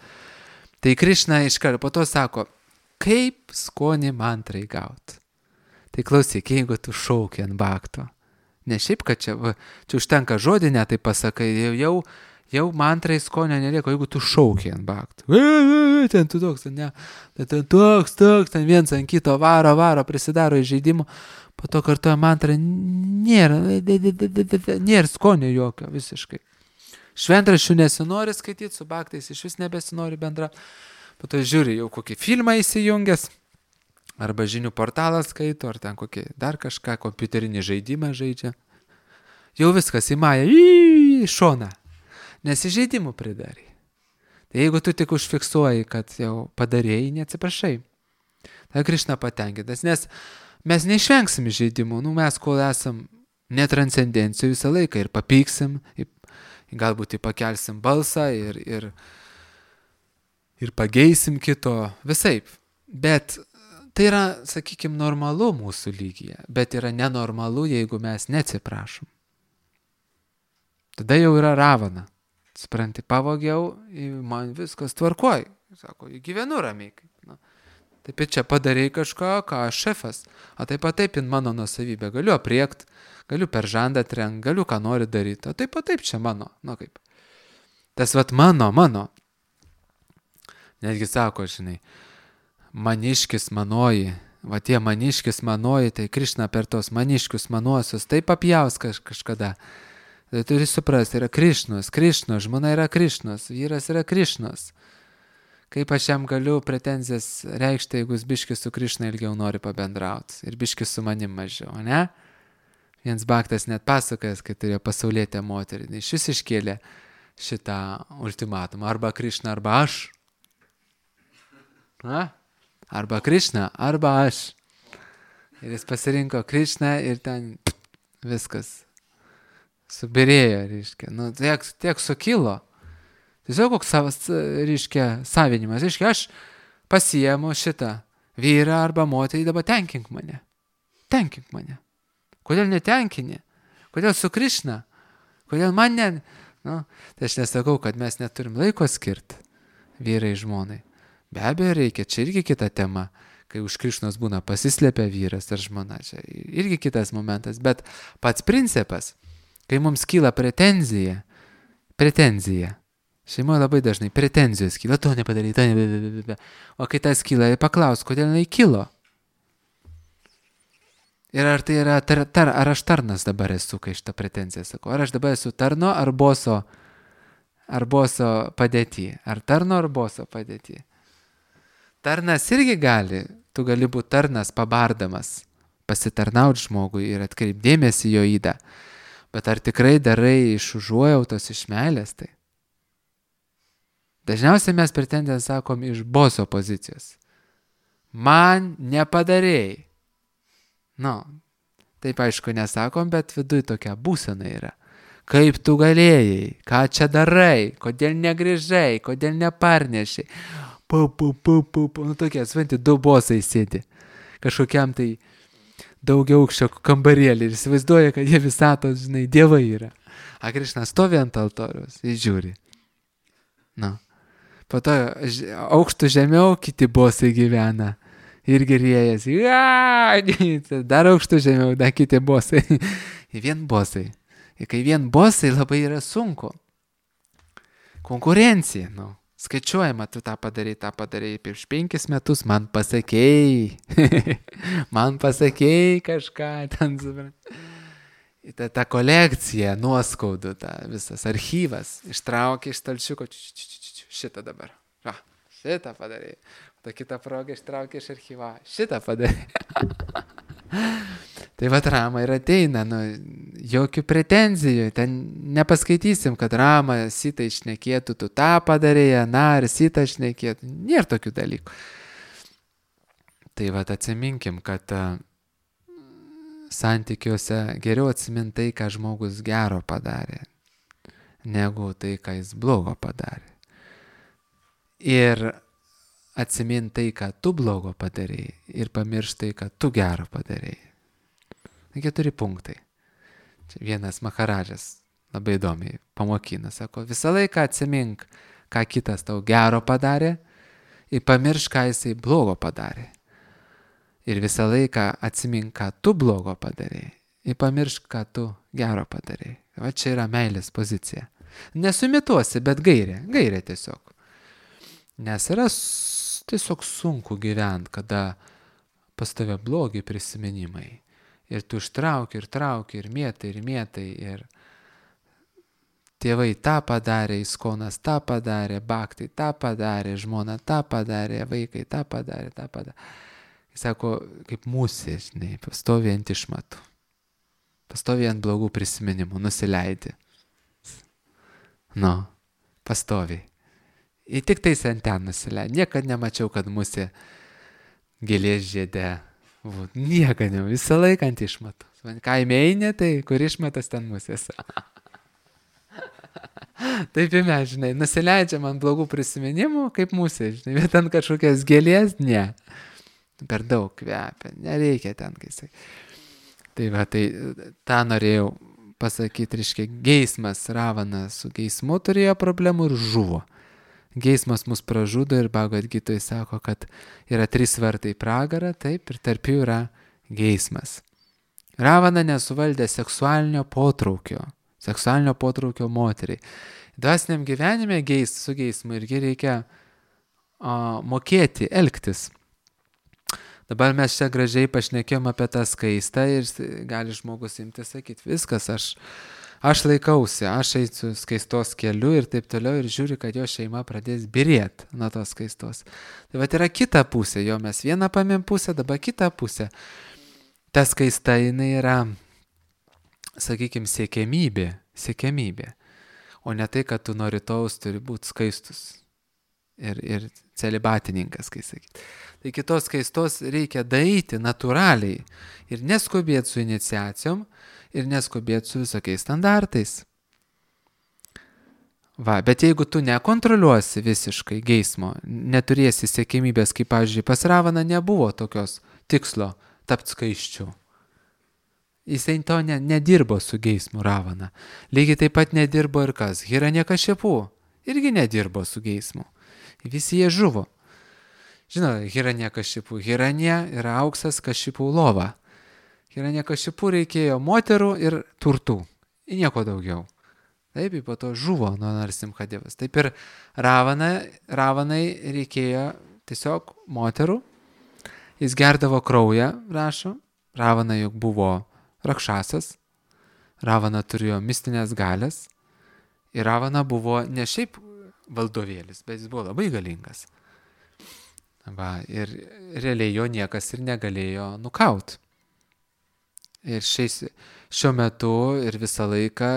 Tai Krišna iškart po to sako, kaip skonį mantrai gauti. Tai klausyk, jeigu tu šauki ant bhakto, ne šiaip, kad čia, va, čia užtenka žodį, ne tai pasakai, jau, jau, jau mantrai skonio nelieko, jeigu tu šauki ant bhakto. Ten tu toks, ne, ten toks, toks, ten viens ant kito varo, varo, prisidaro įžeidimų, po to kartuoja mantrą, nėra, nėra skonio jokio visiškai. Šventraščių nesinori skaityti, su bhaktais iš vis nebesinori bendra. Po to žiūri jau kokį filmą įsijungęs, arba žinių portalą skaito, ar ten kokį dar kažką, kompiuterinį žaidimą žaidžia. Jau viskas įmaja į šoną, nes įžeidimų pridarai. Tai jeigu tu tik užfiksuoji, kad jau padarėjai, neatsiprašai. Tai Krišna patenkintas, nes mes neišvengsim įžeidimų, nu mes kol esam netranscendencijų visą laiką ir papyksim, ir galbūt pakelsim balsą ir, ir, ir pageisim kito, visaip. Bet tai yra, sakykime, normalu mūsų lygyje, bet yra nenormalu, jeigu mes neatsiprašom. Tada jau yra ravana. Supranti, pavogiau, man viskas tvarkoj. Sako, gyvenu ramiai. Na, taip ir čia padarei kažką, ką aš šefas. O taip pat taip in mano nuosavybė. Galiu apriekt, galiu per žandą trenkt, galiu ką nori daryti. O taip pat taip čia mano. Na kaip. Tas vat mano, mano. Netgi sako, žinai, maniškis manoji. Va tie maniškis manoji, tai Krišna per tos maniškius manuosius taip apjaus kaž, kažkada. Tai turi suprasti, yra Krišnos, Krišnos, žmona yra Krišnos, vyras yra Krišnos. Kaip aš jam galiu pretenzijas reikšti, jeigu jis biškis su Krišna ilgiau nori pabendrauti ir biškis su manim mažiau, ne? Viens bhaktas net pasakojęs, kai turėjo pasaulietę moterį, iš vis iškėlė šitą ultimatumą, arba Krišna, arba aš. Na? Arba Krišna, arba aš. Ir jis pasirinko Krišną ir ten viskas. Subirėjo, reiškia, nu, tiek, tiek sukilo. Tiesiog koks savas, reiškia, savinimas. Reiškia, aš pasiemu šitą vyrą arba moterį, dabar tenkink mane. Tenkink mane. Kodėl netenkini? Kodėl su Krišna? Kodėl man ne... Nu, tai aš nesakau, kad mes neturim laiko skirti vyrai žmonai. Be abejo reikia, čia irgi kita tema. Kai už Krišnos būna pasislėpia vyras ar žmona. Čia irgi kitas momentas. Bet pats principas, kai mums kyla pretenzija, pretenzija, šeimoje labai dažnai pretenzijos kyla, to nepadarai, to nepadarai, o kai tas kyla, paklaus, kodėl jinai kilo. Ir ar tai yra, tar, tar, ar aš tarnas dabar esu, kai šitą pretenziją sakau, ar aš dabar esu tarno ar boso, ar boso padėty, ar tarno ar boso padėty. Tarnas irgi gali, tu gali būti tarnas pabardamas, pasitarnauti žmogui ir atkreipdėmėsi jo įdą. Bet ar tikrai darai iš užuojautos, iš meilės tai? Dažniausiai mes pretendiją sakom iš boso pozicijos. Man nepadarėjai. Nu, taip aišku nesakom, bet viduj tokia būsena yra. Kaip tu galėjai, ką čia darai, kodėl negrįžai, kodėl neparnešiai. Pu, pu, pu, pu, pu. Nu tokie, svanti, du bosai sėdi. Kažkokiam tai daugiau aukščio kambarėlį ir įsivaizduoja, kad jie visatos, žinai, dievai yra. A Krišna stovi ant altoriaus ir žiūri. Nu. Po to aukštų žemiau kiti bosai gyvena. Ir gerėjasi. Dar aukštų žemiau, dar kiti bosai. Ir vien bosai. Ir kai vien bosai labai yra sunku. Konkurencija, nu. Skaičiuojama, tu tą padarai, tą padarai prieš penkis metus, man pasakėjai. Man pasakėjai kažką ten. Ta, ta kolekcija, nuoskaudų, ta visas archyvas. Ištraukė iš stalčiuko. Šitą dabar. Va, šitą padarai. Ta kitą progą ištraukė iš archyva. Šitą padarai. Tai va Rama ir ateina, nu, jokių pretenzijų, ten nepaskaitysim, kad Rama Sita išnekėtų, tu tą padarėjai, na, ar Sita išnekėtų, nėra tokių dalykų. Tai va atsiminkim, kad uh, santykiuose geriau atsimintai, ką žmogus gero padarė, negu tai, ką jis blogo padarė. Ir atsimintai, ką tu blogo padarėjai, ir pamirštai, ką tu gero padarėjai. Keturi punktai. Čia vienas Maharadžas labai įdomiai pamokina, sako, visą laiką atsimink, ką kitas tau gero padarė ir pamiršk, ką jisai blogo padarė. Ir visą laiką atsimink, ką tu blogo padarė ir pamiršk, ką tu gero padarė. Va čia yra meilės pozicija. Nesumituosi, bet gairė, gairė tiesiog. Nes yra tiesiog sunku gyventi, kada pas tave blogi prisiminimai. Ir tu ištrauki, ir trauki, ir mėtai, ir mėtai, ir tėvai tą padarė, Iskonas tą padarė, Bhaktai tą padarė, žmona tą padarė, vaikai tą padarė, tą padarė. Jis sako, kaip musė, žinai, pastovi ant išmatų, pastovi ant blogų prisiminimų, nusileidi. Nu, pastovi. Ir tik tais ant ten nusileidi. Niekad nemačiau, kad musė gėlės žiede. Būt, nieka ne, visą laiką ant išmatų. Kaime eini, tai kur išmatas ten musės. Taip ir mes, žinai, nusileidžiam ant blogų prisiminimų, kaip musė, žinai, bet ant kažkokias gėlės, ne. Per daug kvepia, nereikia ten, kai sakai. Tai va, tai tą norėjau pasakyti, reiškia, geismas, Ravana su geismu turėjo problemų ir žuvo. Geismas mus pražudo ir Bhagavad Gitoj sako, kad yra trys vartai pragarą, taip, ir tarp jų yra geismas. Ravana nesuvaldė seksualinio potraukio, seksualinio potraukio moteriai. Dvasiniam gyvenime geis, su geismu irgi reikia o, mokėti, elgtis. Dabar mes čia gražiai pašnekėjom apie tą skaistą ir gali žmogus imti sakyti, viskas, aš... Aš laikausi, aš eisiu skaistos keliu ir taip toliau ir žiūri, kad jo šeima pradės birėti nuo tos skaistos. Tai va yra kita pusė, jo mes vieną pamėm pusę, dabar kita pusė. Ta skaista jinai yra, sakykime, siekiamybė, siekiamybė. O ne tai, kad tu nuo rytojaus turi būti skaistus ir, ir celibatininkas, kai sakyti. Tai kitos skaistos reikia daryti natūraliai ir neskubėti su iniciacijom, ir neskubėti su visokiais standartais. Va, bet jeigu tu nekontroliuosi visiškai geismo, neturėsi siekimybės, kaip, pavyzdžiui, pas Ravaną nebuvo tokios tikslo tapti skaisčiu. Jisai to ne, nedirbo su geismu Ravana. Lygiai taip pat nedirbo ir kas? Hiranyakashipu irgi nedirbo su geismu. Visi jie žuvo. Žinau, Hiranyakashipu. Hiranya yra auksas, Kashipu lova. Hiranyakashipu reikėjo moterų ir turtų. Ir nieko daugiau. Taip, po to žuvo nuo Narsimhadevas. Taip ir Ravana, Ravanai reikėjo tiesiog moterų. Jis gerdavo kraują, rašo. Ravana juk buvo rakšasas. Ravana turėjo mistinės galės. Ir Ravana buvo ne šiaip valdovėlis, bet jis buvo labai galingas. Va, ir realiai jo niekas ir negalėjo nukaut. Ir šiais, šiuo metu ir visą laiką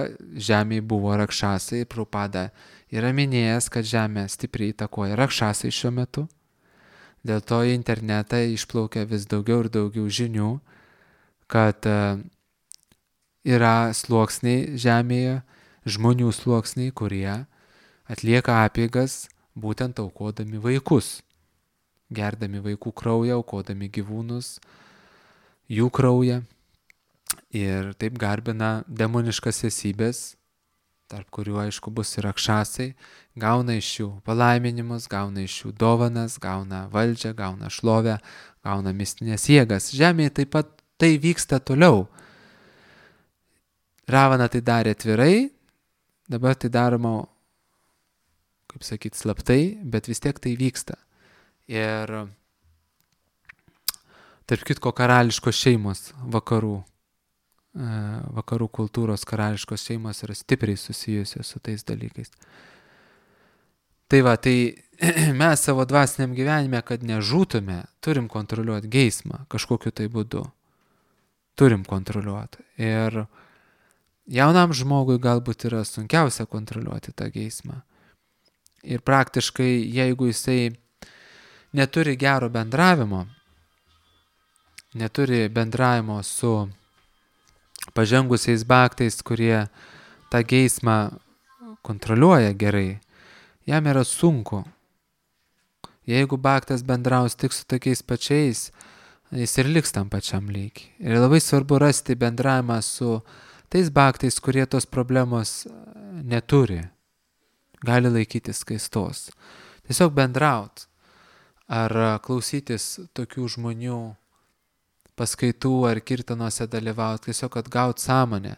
žemėje buvo rakšasai. Prabhupada yra minėjęs, kad žemė stipriai įtakoja rakšasai šiuo metu. Dėl to į internetą išplaukia vis daugiau ir daugiau žinių, kad yra sluoksniai žemėje, žmonių sluoksniai, kurie atlieka apeigas būtent aukodami vaikus, gerdami vaikų kraują, aukodami gyvūnus, jų kraują. Ir taip garbina demoniškas esybės, tarp kurių aišku bus ir rakšasai, gauna iš jų palaiminimus, gauna iš jų dovanas, gauna valdžią, gauna šlovę, gauna mistinės jėgas. Žemėje taip pat tai vyksta toliau. Ravana tai darė atvirai, dabar tai daroma, kaip sakyti, slaptai, bet vis tiek tai vyksta. Ir tarp kitko karališkos šeimos vakarų, vakarų kultūros karališkos šeimos yra stipriai susijusios su tais dalykais. Tai va, tai mes savo dvasiniam gyvenime, kad nežūtume, turim kontroliuoti geismą kažkokiu tai būdu. Turim kontroliuoti. Ir jaunam žmogui galbūt yra sunkiausia kontroliuoti tą geismą. Ir praktiškai, jeigu jisai neturi gero bendravimo, neturi bendravimo su pažengusiais bhaktais, kurie tą geismą kontroliuoja gerai, jam yra sunku. Jeigu bhaktas bendraus tik su tokiais pačiais, jis ir liks tam pačiam lygiai. Ir labai svarbu rasti bendravimą su tais bhaktais, kurie tos problemos neturi, gali laikytis skaistos. Tiesiog bendraut ar klausytis tokių žmonių paskaitų ar kirtanuose dalyvauti, tiesiog atgauti sąmonę.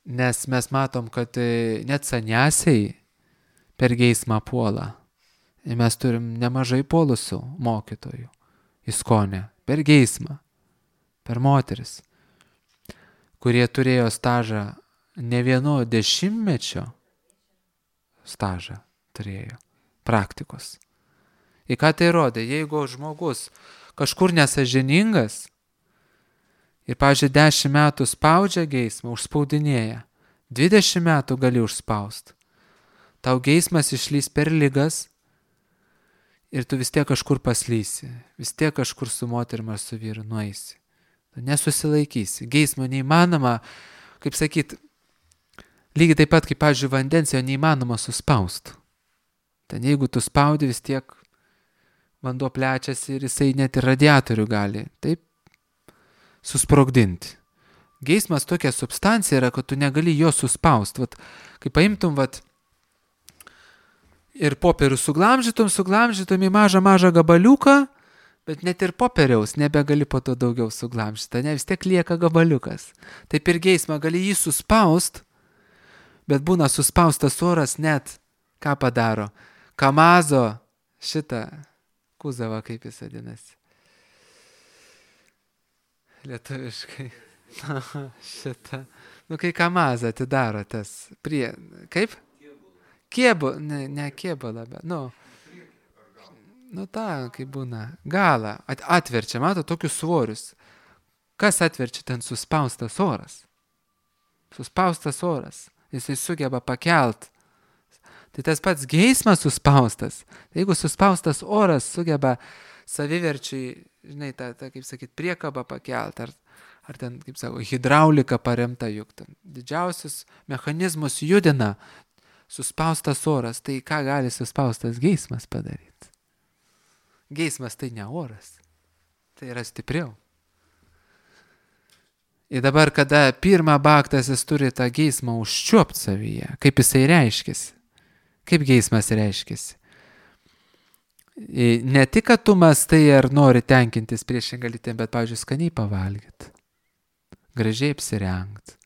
Nes mes matom, kad net saniasiai per geismą puola. Ir mes turim nemažai puolusių mokytojų ISKCONe per geismą, per moteris, kurie turėjo stažą ne vieno dešimtmečio stažą turėjo, praktikos. Į ką tai rodė? Jeigu žmogus kažkur nesąžiningas ir, pavyzdžiui, dešimt metų spaudžia geismą, užspaudinėja, dvidešimt metų gali užspaust. Tau geismas išlys per ligas ir tu vis tiek kažkur paslysi, vis tiek kažkur su moterim ar su vyru nueisi. Tu nesusilaikysi. Geismo neįmanoma, kaip sakyt, lygiai taip pat kaip, pavyzdžiui, vandens jo neįmanoma suspaust. Ten jeigu tu spaudi, vis tiek vanduo plečiasi ir jisai net ir radiatorių gali taip susprogdinti. Geismas tokia substancija yra, kad tu negali jo suspaust. Vat, kai paimtum vat, ir popierių suglamžytum, suglamžytum į mažą mažą gabaliuką, bet net ir popieriaus nebegali po to daugiau suglamžyti, ne, vis tiek lieka gabaliukas. Taip ir geismą gali jį suspaust, bet būna suspaustas oras net, ką padaro, kamazo šitą kuzavą, kaip jis vadinasi. Lietuviškai. Šitą. Nu, kai kamazą atidaro tas prie... Kaip? Kėbu. Ne, ne kėbalą, bet... Nu, nu tą, kaip būna. Galą. At, atverčia, mato, tokius svorius. Kas atverčia ten suspaustas oras? Suspaustas oras. Jisai sugeba pakelt. Tai tas pats geismas suspaustas. Jeigu suspaustas oras sugeba saviverčiai, žinai, tą, tą kaip sakyt, priekabą pakelt, ar, ar ten, kaip sako, hidraulika paremta, juk ten didžiausius mechanizmus judina suspaustas oras. Tai ką gali suspaustas geismas padaryti? Geismas tai ne oras. Tai yra stipriau. Ir dabar, kada pirmą bhaktas jis turi tą geismą užčiuopt savyje, kaip jisai reiškiasi. Kaip geismas reiškiasi? Ne tik, kad tu mastai ar nori tenkintis priešingą lytį, bet, pavyzdžiui, skaniai pavalgyti, gražiai apsirengti,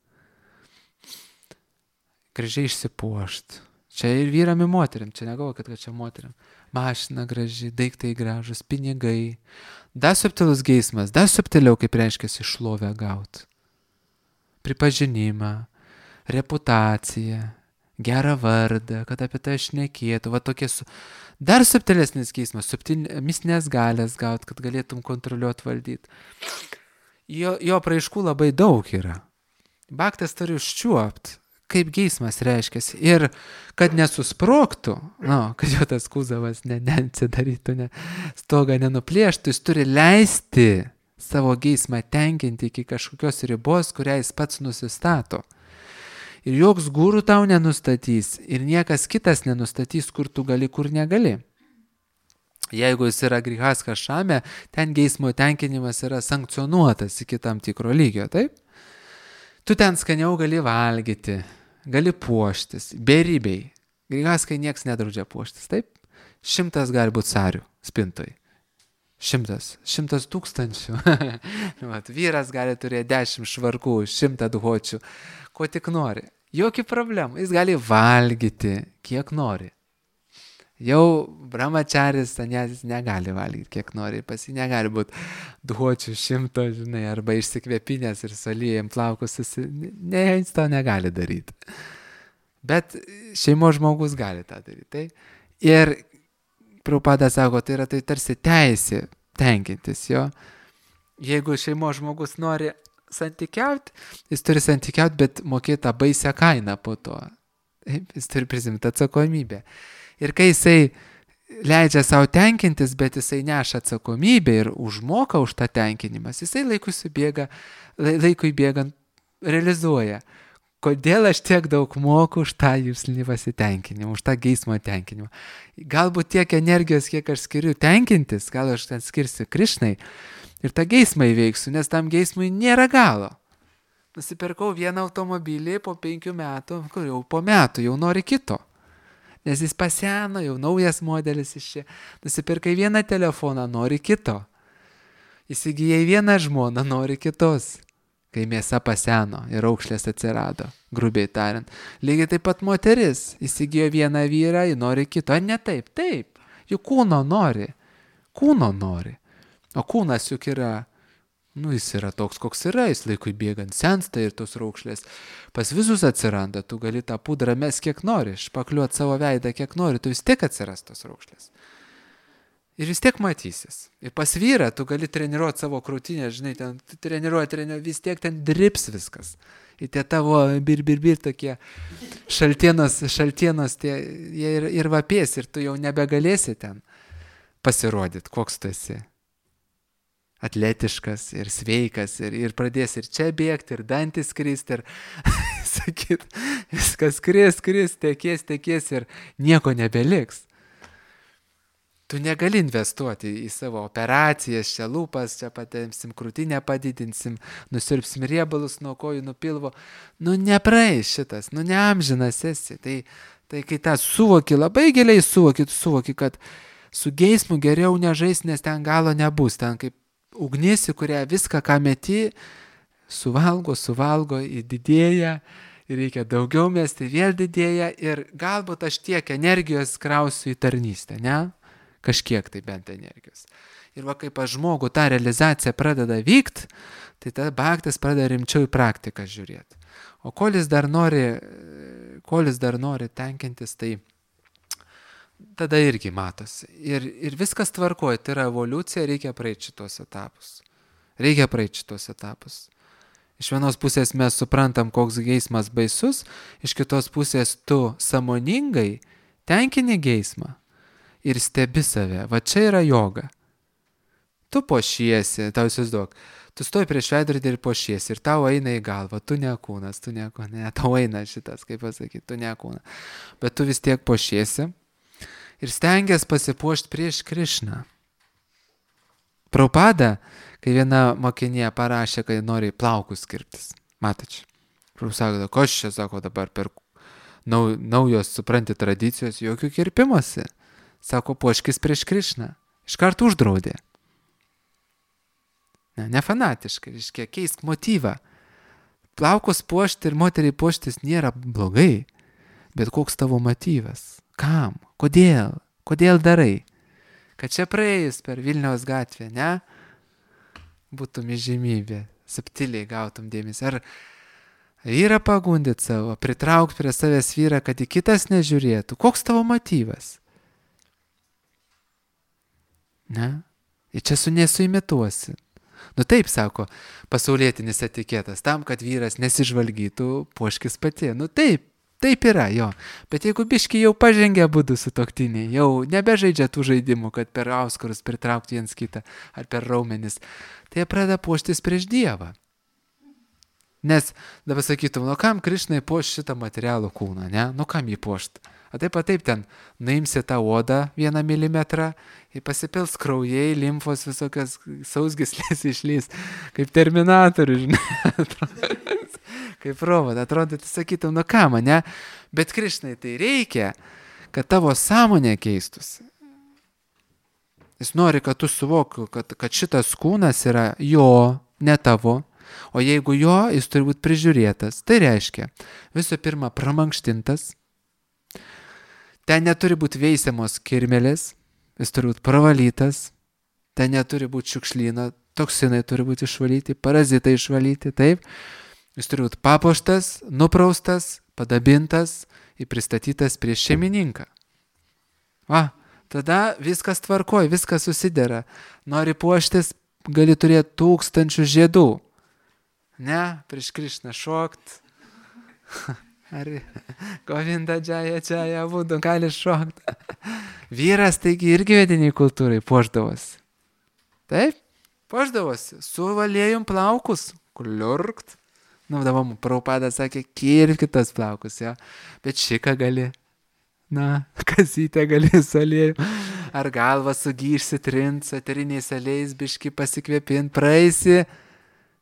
gražiai išsipuošti. Čia ir vyram ir moteriam, čia negalvokit, kad čia moteriam. Mašina graži, daiktai gražus, pinigai. Dar subtilus geismas, dar subtiliau, kaip reiškiasi šlovę gauti. Pripažinimą, reputaciją, gerą vardą, kad apie tai šnekėtų, va tokie su... Dar subtilesnis geismas, subtil... mistinės galės gauti, kad galėtum kontroliuoti, valdyti. jo, jo praiškų labai daug yra. Bhaktas turi užčiuopt, kaip geismas reiškiasi. Ir kad nesusprogtų, no, kad jo tas kūzavas ne, neatsidarytų, ne, stogą nenuplėštų, jis turi leisti savo geismą tenkinti iki kažkokios ribos, kurią jis pats nusistato. Ir joks guru tau nenustatys, ir niekas kitas nenustatys, kur tu gali, kur negali. Jeigu jis yra grihastha šame, ten geismo tenkinimas yra sankcionuotas iki tam tikro lygio, taip? Tu ten skaniau gali valgyti, gali puoštis, beribiai. Grihasthai nieks nedraudžia puoštis, taip? Šimtas gali būti sarių spintoj. Šimtas, šimtas tūkstančių. Vat, vyras gali turėti dešimt švarkų, šimtą duhočių, ko tik nori. Jokių problemų, jis gali valgyti, kiek nori. Jau brahmacharis, sanyasis negali valgyti, kiek nori, pas jį negali būti duhočių šimto, žinai, arba išsikvėpinės ir salyjam plaukus, susi... ne, jis to negali daryti. Bet šeimos žmogus gali tą daryti. Tai? Ir Prabhupada sako, tai yra tai tarsi teisė tenkintis jo. Jeigu šeimos žmogus nori santykiauti, jis turi santykiauti, bet mokėti tą baisią kainą po to. Jis turi prisimti atsakomybę. Ir kai jisai leidžia savo tenkintis, bet jisai neša atsakomybę ir užmoka už tą tenkinimas, jisai laikui subėga, laikui bėgant realizuoja. Kodėl aš tiek daug moku už tą jūslinį pasitenkinimą, už tą geismo tenkinimą. Galbūt tiek energijos, kiek aš skiriu tenkintis, gal aš ten skirsiu Krišnai ir tą geismą įveiksiu, nes tam geismui nėra galo. Nusipirkau vieną automobilį po penkių metų, kur jau po metų jau nori kito. Nes jis paseno, jau naujas modelis iš čia. Nusipirkai vieną telefoną, nori kito. Įsigijai vieną žmoną, nori kitos. Kai mėsa paseno ir raukšlės atsirado, grubiai tariant. Lygiai taip pat moteris įsigijo vieną vyrą, ji nori kito. Ar ne taip? Taip. Juk kūno nori. Kūno nori. O kūnas juk yra, nu jis yra toks, koks yra, jis laikui bėgant sensta ir tos raukšlės pas visus atsiranda. Tu gali tą pudrą mes kiek nori, špakliuot savo veidą kiek nori, tu vis tiek atsiras tos raukšlės. Ir vis tiek matysis. Ir pas vyrą tu gali treniruoti savo krūtinę, žinai, ten treniruoti, treniruoti, vis tiek ten drips viskas. Ir tie tavo bir, bir, bir tokie šaltienos, šaltienos tie, jie ir, ir vapės, ir tu jau nebegalėsi ten pasirodyti, koks tu esi. Atletiškas ir sveikas, ir, ir pradės ir čia bėgti, ir dantis kristi, ir sakyt, viskas kris, kris, tekės, tekės, ir nieko nebeliks. Tu negali investuoti į savo operacijas, čia lūpas, čia patemsim krūtinę, padidinsim, nusirpsim riebalus nuo kojų, nuo pilvo. Nu nepraeis šitas, nu neamžinas esi. Tai, tai kai tą suvoki, labai giliai suvoki, tu suvoki, kad su geismu geriau nežais, nes ten galo nebus. Ten kaip ugnis, į kurią viską, ką meti, suvalgo, suvalgo, įdidėja. Ir reikia daugiau mesti, vėl didėja. Ir galbūt aš tiek energijos krausiu į tarnystę, ne? Kažkiek tai bent energijos. Ir va kaip aš žmogų tą realizaciją pradeda vykt, tai tada bhaktas pradeda rimčiau į praktiką žiūrėti. O kol jis dar nori, kol jis dar nori tenkintis, tai tada irgi matosi. Ir, ir viskas tvarkoja, tai yra evoliucija, reikia praeiti šitos etapus. Reikia praeiti šitos etapus. Iš vienos pusės mes suprantam, koks geismas baisus, iš kitos pusės tu sąmoningai tenkini geismą. Ir stebi save. Va čia yra joga. Tu pošiesi, tau įsivaizduok, tu stoji prieš veidrodį ir pošiesi, ir tau eina į galvą, tu ne kūnas, tu ne kūnas, ne, tau eina šitas, kaip pasakyti, tu ne kūnas. Bet tu vis tiek pošiesi ir stengiasi pasipuošti prieš Krišną. Prabhupada, kai viena mokinė parašė, kad nori plaukus kirptis. Matoč. Prabhupada sako, koš čia, sako, dabar per nau, naujos, supranti, tradicijos, jokių kirpimosi. Sako, puoškis prieš Krišną. Iš karto uždraudė. Ne, ne fanatiškai, reiškia, keisk motyvą. Plaukus puošti ir moteriai puoštis nėra blogai, bet koks tavo motyvas? Kam? Kodėl? Kodėl darai? Kad čia praėjus per Vilniaus gatvę, ne? Būtum įžymybė, subtiliai gautum dėmesį. Ar vyrą pagundit savo, pritraukti prie savęs vyrą, kad į kitas nežiūrėtų? Koks tavo motyvas? Ne? Ir čia su nesuimituosi. Nu taip, sako, pasaulietinis etiketas, tam, kad vyras nesižvalgytų, puoškis pati. Nu taip, taip yra, jo. Bet jeigu biški jau pažengia būdų sutuoktiniai, jau nebežaidžia tų žaidimų, kad per auskarus pritraukti viens kitą ar per raumenis, tai jie pradeda puoštis prieš Dievą. Nes dabar sakytum, nu kam Krišnai puoš šitą materialų kūną, ne? Nu kam jį puošt? O taip pat taip ten, nuimsi tą odą vieną milimetrą ir pasipils kraujai, limfos visokios sausgyslės išlys, kaip Terminatorius, žinai. Kaip robot, atrodo, tai sakytum, nu ką mane, bet Krišnai tai reikia, kad tavo sąmonė keistųsi. Jis nori, kad tu suvoktų, kad, kad šitas kūnas yra jo, ne tavo, o jeigu jo, jis turi būti prižiūrėtas. Tai reiškia, visų pirma, pramankštintas, ten neturi būti veisiamos kirmelės, jis turi būti pravalytas, ten neturi būti šiukšlyno, toksinai turi būti išvalyti, parazitai išvalyti, taip. Jis turi būti papuoštas, nupraustas, padabintas ir pristatytas prieš šeimininką. Va, tada viskas tvarkoj, viskas susidera. Nori puoštis, gali turėti tūkstančių žiedų. Ne, prieš Krišną šokt. Ar Govinda džaja džaja būdu, gali šokt. Vyras, taigi, irgi vediniai kultūrai puošdavosi. Taip, puošdavosi. Suvalėjom plaukus, kliurkt. Nu, dabar Prabhupada sakė, kirpkitas plaukus, jo. Bet šiką gali, na, kasytę gali su aliejum. Ar galvą sugyšsi, trint, su eteriniais aliejais, biški pasikvėpint, praeisi.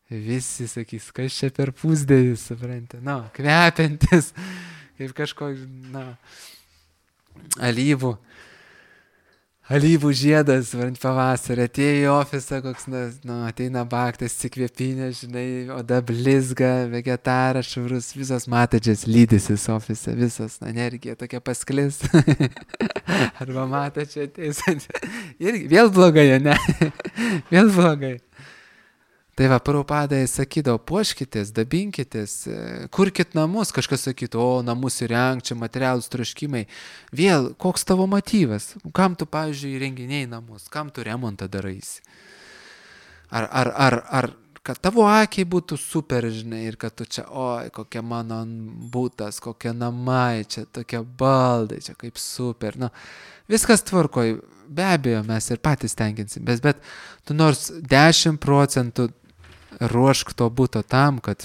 Visi sakys, kas čia per pusdėvis, supranti. Nu, kvepiantis, kaip kažkoks, na, alyvų. Alyvų žiedas, varant pavasarį, atėjo į ofisą, koks, nu, ateina baktas, sikvėpinė, žinai, oda blizga, vegetaras, švarus, visos matadžias lydysis ofise, visos, na, energija tokia pasklis. Arba matadžiai ateis. Irgi, vėl blogai, ne? Vėl blogai. Tai va, Prabhupada sakydavo, puoškitės, dabinkitės, kurkit namus, kažkas sakytų, o namus įrenk, čia materialūs troškimai. Vėl, koks tavo motyvas? Kam tu, pavyzdžiui, įrenginiai namus? Kam tu remontą daraisi? Ar, ar, ar, ar kad tavo akiai būtų super, žinai, ir kad tu čia, oi, kokia mano būtas, kokie namai, čia tokie baldai, čia kaip super. Nu, viskas tvarkoj, be abejo, mes ir patys tenkinsim, bet, bet tu nors dešimt procentų ruošk to būto tam, kad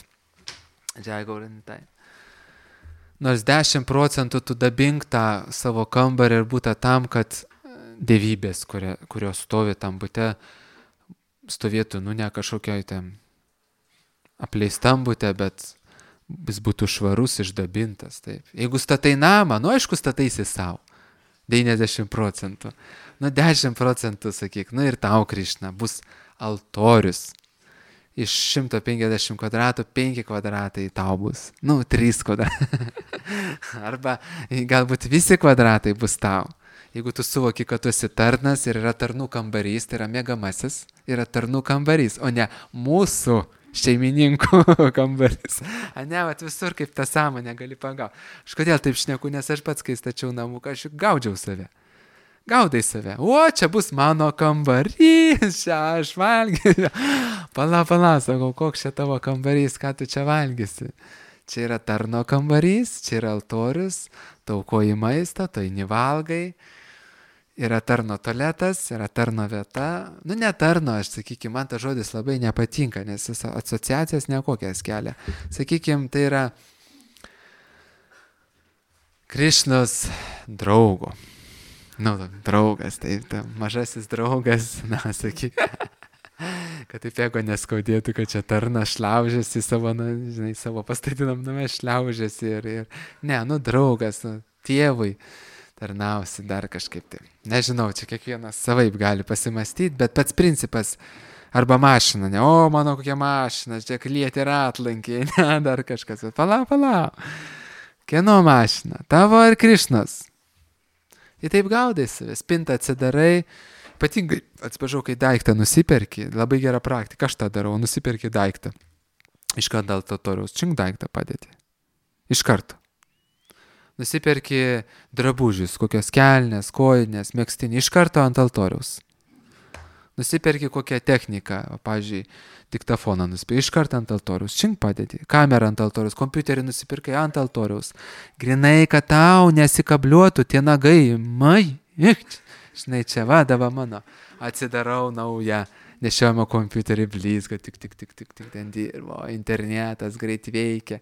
nors dešimt procentų tu dabink tą savo kambarį ir būtą tam, kad dievybės, kurio, kurios stovi tam būte, stovėtų, nu, ne kažkokioj ten apleistam būte, bet jis būtų švarus, išdabintas. Taip. Jeigu statai namą, nu, aišku, stataisi savo. devyniasdešimt procentų. Nu, dešimt procentų, sakyk, nu ir tau, Krišna, bus altorius. Iš šimto penkiasdešimt kvadratų, penki kvadratai tau bus. Nu, trys kvadratai. Arba galbūt visi kvadratai bus tau. Jeigu tu suvoki, kad tu esi tarnas ir yra tarnų kambarys, tai yra mėgamasis, yra tarnų kambarys, o ne mūsų šeimininkų kambarys. A ne, vat visur kaip tą sąmonę gali pagauti. Aš kodėl taip šneku, nes aš pats, kai stačiau namuką, aš juk gaudžiau save. Gaudai save. O, čia bus mano kambarys, čia aš valgysiu. Pala, pala, sakau, koks čia tavo kambarys, ką tu čia valgysi. Čia yra tarno kambarys, čia yra altorius, taukoji maistą, tu eini valgai. Yra tarno tualetas, yra tarno vieta. Nu, ne tarno, aš sakykime, man tas žodis labai nepatinka, nes jis asociacijas nekokias kelia. Sakykime, tai yra Krišnos draugo. Nu, draugas, taip, ta, mažasis draugas, na, sakyk, kad taip jeigu neskaudėtų, kad čia tarna šliaužiasi savo, na, žinai, savo pastatinam name šliaužiasi ir, ir, ne, nu, draugas, nu, tėvui tarnausi dar kažkaip tai. Nežinau, čia kiekvienas savaip gali pasimastyti, bet pats principas, arba mašina, ne, o, mano kokia mašina, čia klieti ir atlankiai, ne, dar kažkas, bet palauk, palauk, kieno mašina, tavo ar Krišnos? Ir taip gaudai save, spintą atsidarai, ypatingai, atsiprašau, kai daiktą nusiperki, labai gera praktika, aš tą darau, nusiperki daiktą. Iš karto dėl altoriaus, čink daiktą padėti. Iš karto. Nusiperki drabužius, kokios kelnės, kojinės, megztinį, iš karto ant altoriaus. Nusiperki kokią techniką, o, pavyzdžiui, diktafoną nusipirkai, iškart ant altoriaus, čink padedi, kamerą ant altoriaus, kompiuterį nusipirkai ant altoriaus. Grinai, kad tau nesikabliuotų tie nagai, mai, ik, žinai, čia vadava mano, atsidarau naują nešiojamą kompiuterį blizga, tik, tik, tik, tik, tik, ten dirbo, internetas greit veikia.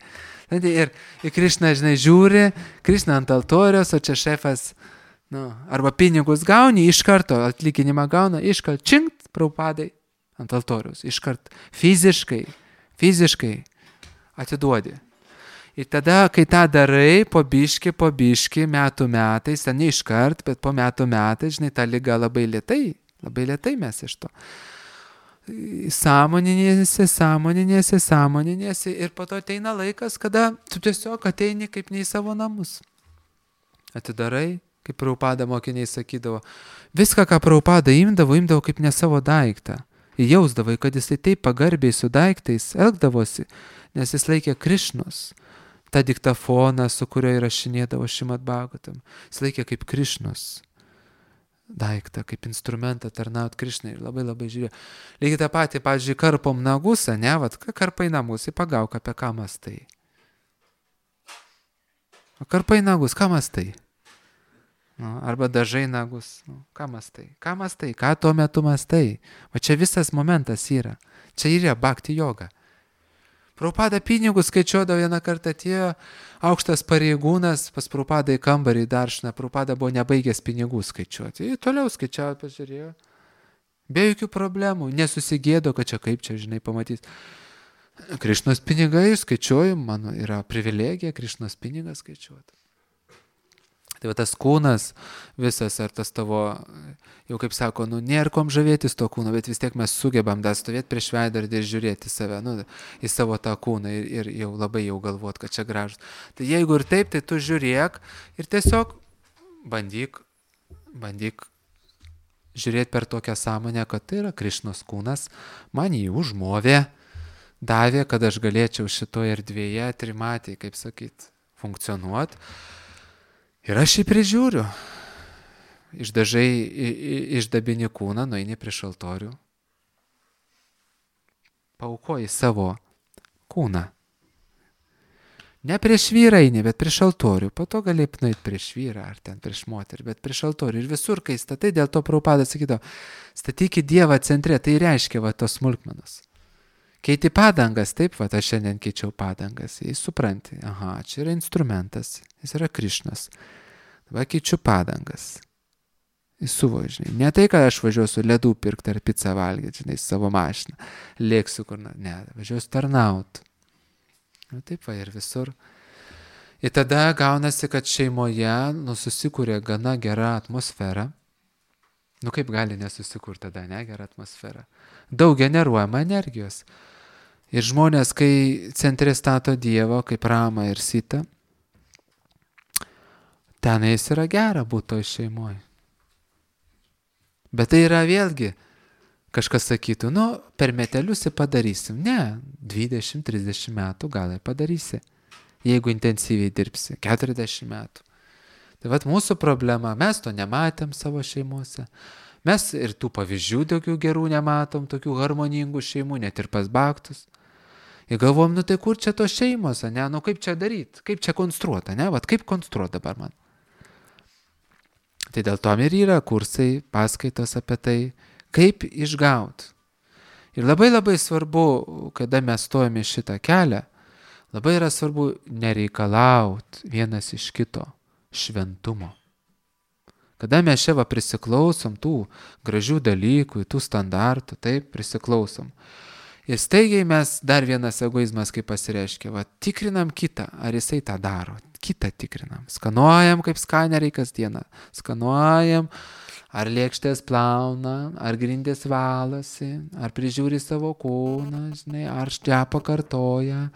Ir, ir Krišna, žinai, žiūri, Krišna ant altoriaus, o čia šefas, nu, arba pinigus gauni, iš karto atlyginimą gauna, iš karto činkt, Prabhupadai, ant altoriaus, iš karto fiziškai, fiziškai atiduodi. Ir tada, kai tą darai, po biški, po biški, metų metais, ne iš kart, bet po metų metais, žinai, ta liga labai lėtai, labai lėtai mes iš to. Sąmoninėsi, sąmoninėsi, sąmoninėsi ir po to ateina laikas, kada tu tiesiog ateini kaip ne į savo namus. Atidarai, kaip Prabhupada mokiniai sakydavo, viską, ką Prabhupada imdavo, imdavo kaip ne savo daiktą. Jausdavai, kad jisai taip pagarbiai su daiktais elgdavosi, nes jis laikė Krišnos. Ta diktafoną, su kurio įrašinėdavo Šrimad Bhagavatam, jis laikė kaip Krišnos daiktą, kaip instrumentą tarnaut Krišnai ir labai labai žiūrėjo. Lygiai tą patį, pavyzdžiui, karpom nagus, ne, vat, karpai nagus, įpagauk apie ką mastai. O karpai nagus, ką mastai? Nu, arba dažai nagus, nu, ką mastai? Ką mastai? Ką tuo metu mastai? O čia visas momentas yra. Čia yra bhakti joga. Prabhupada pinigus skaičiuodavo, vieną kartą atėjo aukštas pareigūnas pas Prabhupadą į kambarį daršną. Prabhupada buvo nebaigęs pinigų skaičiuoti. Jis toliau skaičiavo, pažiūrėjo. Be jokių problemų. Nesusigėdo, kad čia kaip čia, žinai, pamatys. Krišnos pinigai skaičiuoju, mano yra privilegija Krišnos pinigą skaičiuoti. Tai va tas kūnas visas, ar tas tavo, jau kaip sako, nu, nėra kom žavėtis to kūno, bet vis tiek mes sugebam dar stovėti prieš veidrodį ir žiūrėti save, nu, į savo tą kūną ir, ir jau labai jau galvot, kad čia gražus. Tai jeigu ir taip, tai tu žiūrėk ir tiesiog bandyk, bandyk žiūrėti per tokią sąmonę, kad tai yra Krišnos kūnas, man jį užmovė, davė, kad aš galėčiau šitoje erdvėje trimatį, kaip sakyt, funkcionuoti. Ir aš jį prižiūriu. Išdažai, išdabini kūną, nueini prieš altorių. Paukoji savo kūną. Ne prieš vyrą eini, bet prieš altorių. Po to gali nueiti prieš vyrą ar ten prieš moterį, bet prieš altorių. Ir visur, kai statai, dėl to Prabhupada sakydavo, statykit Dievą centre, tai reiškia va tos smulkmenos. Keiti padangas, taip, va, aš šiandien keičiau padangas, jis supranti, aha, čia yra instrumentas, jis yra Krišnas, dabar keičiu padangas, jis suvoja, žinai, ne tai, kad aš važiuosiu ledų pirkti ar pizzą valgyti, žinai, savo mašiną, lėksiu kur, ne, važiuosiu tarnaut, na taip va ir visur. Ir tada gaunasi, kad šeimoje, nu, susikūrė gana gera atmosfera, nu, kaip gali nesusikurti tada, ne, gera atmosfera, daug generuojama energijos. Ir žmonės, kai centre stato Dievą, kaip Ramą ir Sitą, tenais yra gera būti toj šeimoje. Bet tai yra vėlgi, kažkas sakytų, nu, per metelius ir padarysim. Ne, dvidešimt trisdešimt metų gal ir padarysi, jeigu intensyviai dirbsi, keturiasdešimt metų. Tai vat mūsų problema, mes to nematėm savo šeimuose. Mes ir tų pavyzdžių tokių gerų nematom, tokių harmoningų šeimų, net ir pas bhaktus. Ir galvom, nu tai kur čia tos šeimos, ne, nu kaip čia daryti, kaip čia konstruota, ne, vat kaip konstruota dabar man. Tai dėl to ir yra kursai, paskaitos apie tai, kaip išgauti. Ir labai labai svarbu, kada mes stojame šitą kelią, labai yra svarbu nereikalauti vienas iš kito šventumo. Kada mes čia va prisiklausom tų gražių dalykų, tų standartų, taip, prisiklausom. Ir staigiai mes, dar vienas egoizmas, kaip pasireiškia, va, tikrinam kitą, ar jisai tą daro, kitą tikrinam. Skanuojam kaip skaneriai kasdieną, skanuojam, ar lėkštės plauna, ar grindys valosi, ar prižiūri savo kūną, žinai, ar ščiapą kartoja,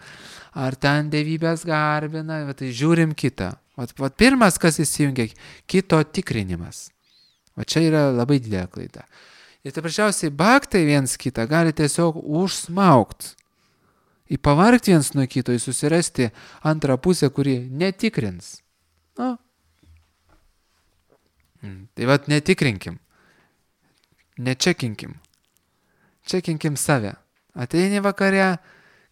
ar ten dievybės garbina, va, tai žiūrim kitą. Vat, vat pirmas, kas įsijungia, kito tikrinimas. O čia yra labai didelė klaida. Ir paprasčiausiai bhaktai viens kitą gali tiesiog užsmaukti. Į pavargti viens nuo kito, į susirasti antrą pusę, kuri netikrins. Nu. Tai vat netikrinkim. Nečekinkim. čekinkim save. Ateini vakare,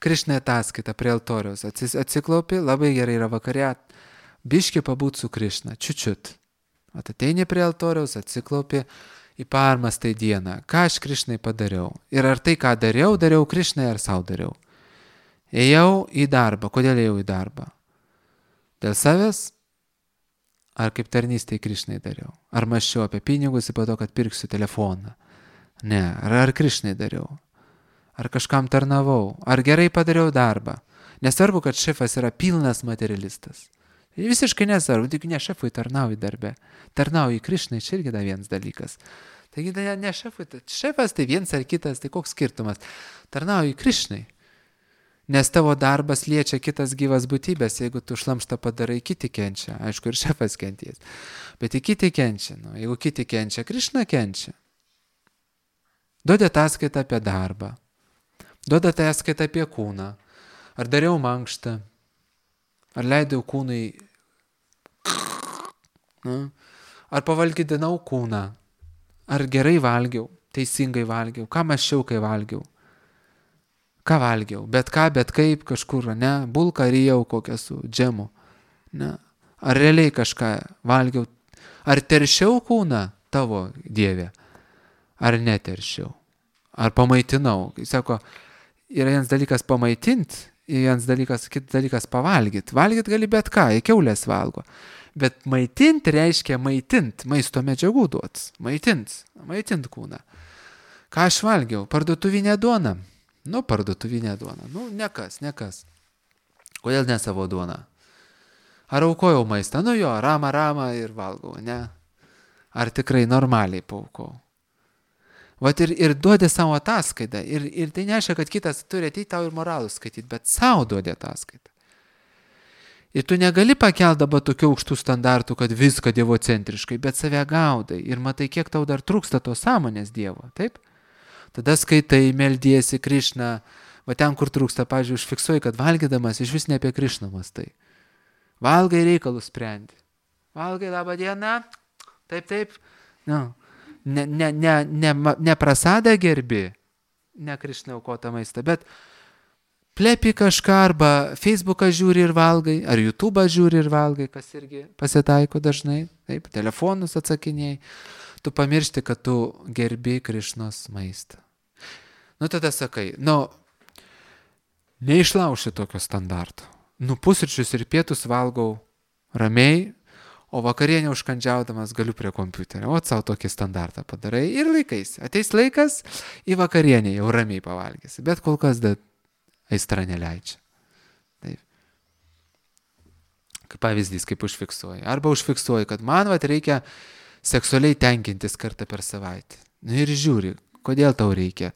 Krišnai ataskaita prie altoriaus, atsiklaupi, labai gerai yra vakare, biški pabūt su Krišna, čiučiut. Ateini prie altoriaus, atsiklaupi, į permastai dieną, ką aš Krišnai padariau. Ir ar tai, ką dariau, dariau Krišnai ar savo dariau. Ėjau į darbą. Kodėl ėjau į darbą? Dėl savęs? Ar kaip tarnystėj Krišnai dariau? Ar mąsčiau apie pinigus ir po to, kad pirksiu telefoną? Ne. Ar, ar Krišnai dariau? Ar kažkam tarnavau? Ar gerai padariau darbą? Nesvarbu, kad šefas yra pilnas materialistas. Visiškai nesvarbu, tik ne šefui tarnauji darbe. Tarnauji Krišnai, čia irgi da vienas dalykas. Taigi ne, ne šefui, šefas tai vienas ar kitas, tai koks skirtumas. Tarnauji Krišnai. Nes tavo darbas liečia kitas gyvas būtybės, jeigu tu šlamštą padarai, kiti kenčia. Aišku, ir šefas kenties. Bet ir kiti kenčia. Nu, jeigu kiti kenčia, Krišna kenčia. Duodi ataskaitą apie darbą. Duodi ataskaitą apie kūną. Ar dariau mankštą? Ar leidau kūnui? Nu, ar pavalgydinau kūną? Ar gerai valgiau? Teisingai valgiau? Ką mąsčiau, kai valgiau? Ką valgiau? Bet ką, bet kaip kažkur, ne? Bulką rijau kokią su džemu. Ne? Ar realiai kažką valgiau? Ar teršiau kūną tavo, Dieve? Ar neteršiau? Ar pamaitinau? Sako, yra vienas dalykas pamaitint, vienas dalykas, kitas dalykas pavalgyt. Valgyt gali bet ką, kiaulės valgo. Bet maitint reiškia maitint, maisto medžiagų duots. Maitint, maitint kūną. Ką aš valgiau? Parduotuvinę duoną. Nu, parduotuvinę duoną. Nu, nekas, nekas. Kodėl ne savo duoną? Ar aukojau maistą? Nu jo, rama, rama ir valgau, ne? Ar tikrai normaliai paaukau? Vat ir, ir duodi savo ataskaitą. Ir, ir tai nereiškia, kad kitas turi ateiti tau ir moralų skaityti, bet savo duodi ataskaitą. Ir tu negali pakelti dabar tokių aukštų standartų, kad viską dievocentriškai, bet save gaudai. Ir matai, kiek tau dar trūksta tos sąmonės Dievo, taip? Tada skaitai, meldiesi Krišną, va ten, kur trūksta, pavyzdžiui, užfiksuoji, kad valgydamas iš vis ne apie Krišną mąstai. Valgai reikalus sprendi. Valgai, labą dieną, taip, taip, nu. Ne, ne, ne, ne, ne prasadą gerbi, ne Krišnai aukotą maistą, bet plepi kažką arba Facebooką žiūri ir valgai, ar YouTube'ą žiūri ir valgai, kas irgi pasitaiko dažnai, taip, telefonus atsakinėjai, tu pamiršti, kad tu gerbi Krišnos maistą. Nu tada sakai, nu, neišlauši tokio standarto. Nu, pusryčius ir pietus valgau ramiai, o vakarienę užkandžiaudamas galiu prie kompiuterio. O savo tokį standartą padarai ir laikais. Ateis laikas, į vakarienę jau ramiai pavalgysi. Bet kol kas da aistra neleidžia. Taip. Kaip pavyzdys, kaip užfiksuoji. Arba užfiksuoji, kad man vat reikia seksualiai tenkintis kartą per savaitę. Nu ir žiūri, kodėl tau reikia.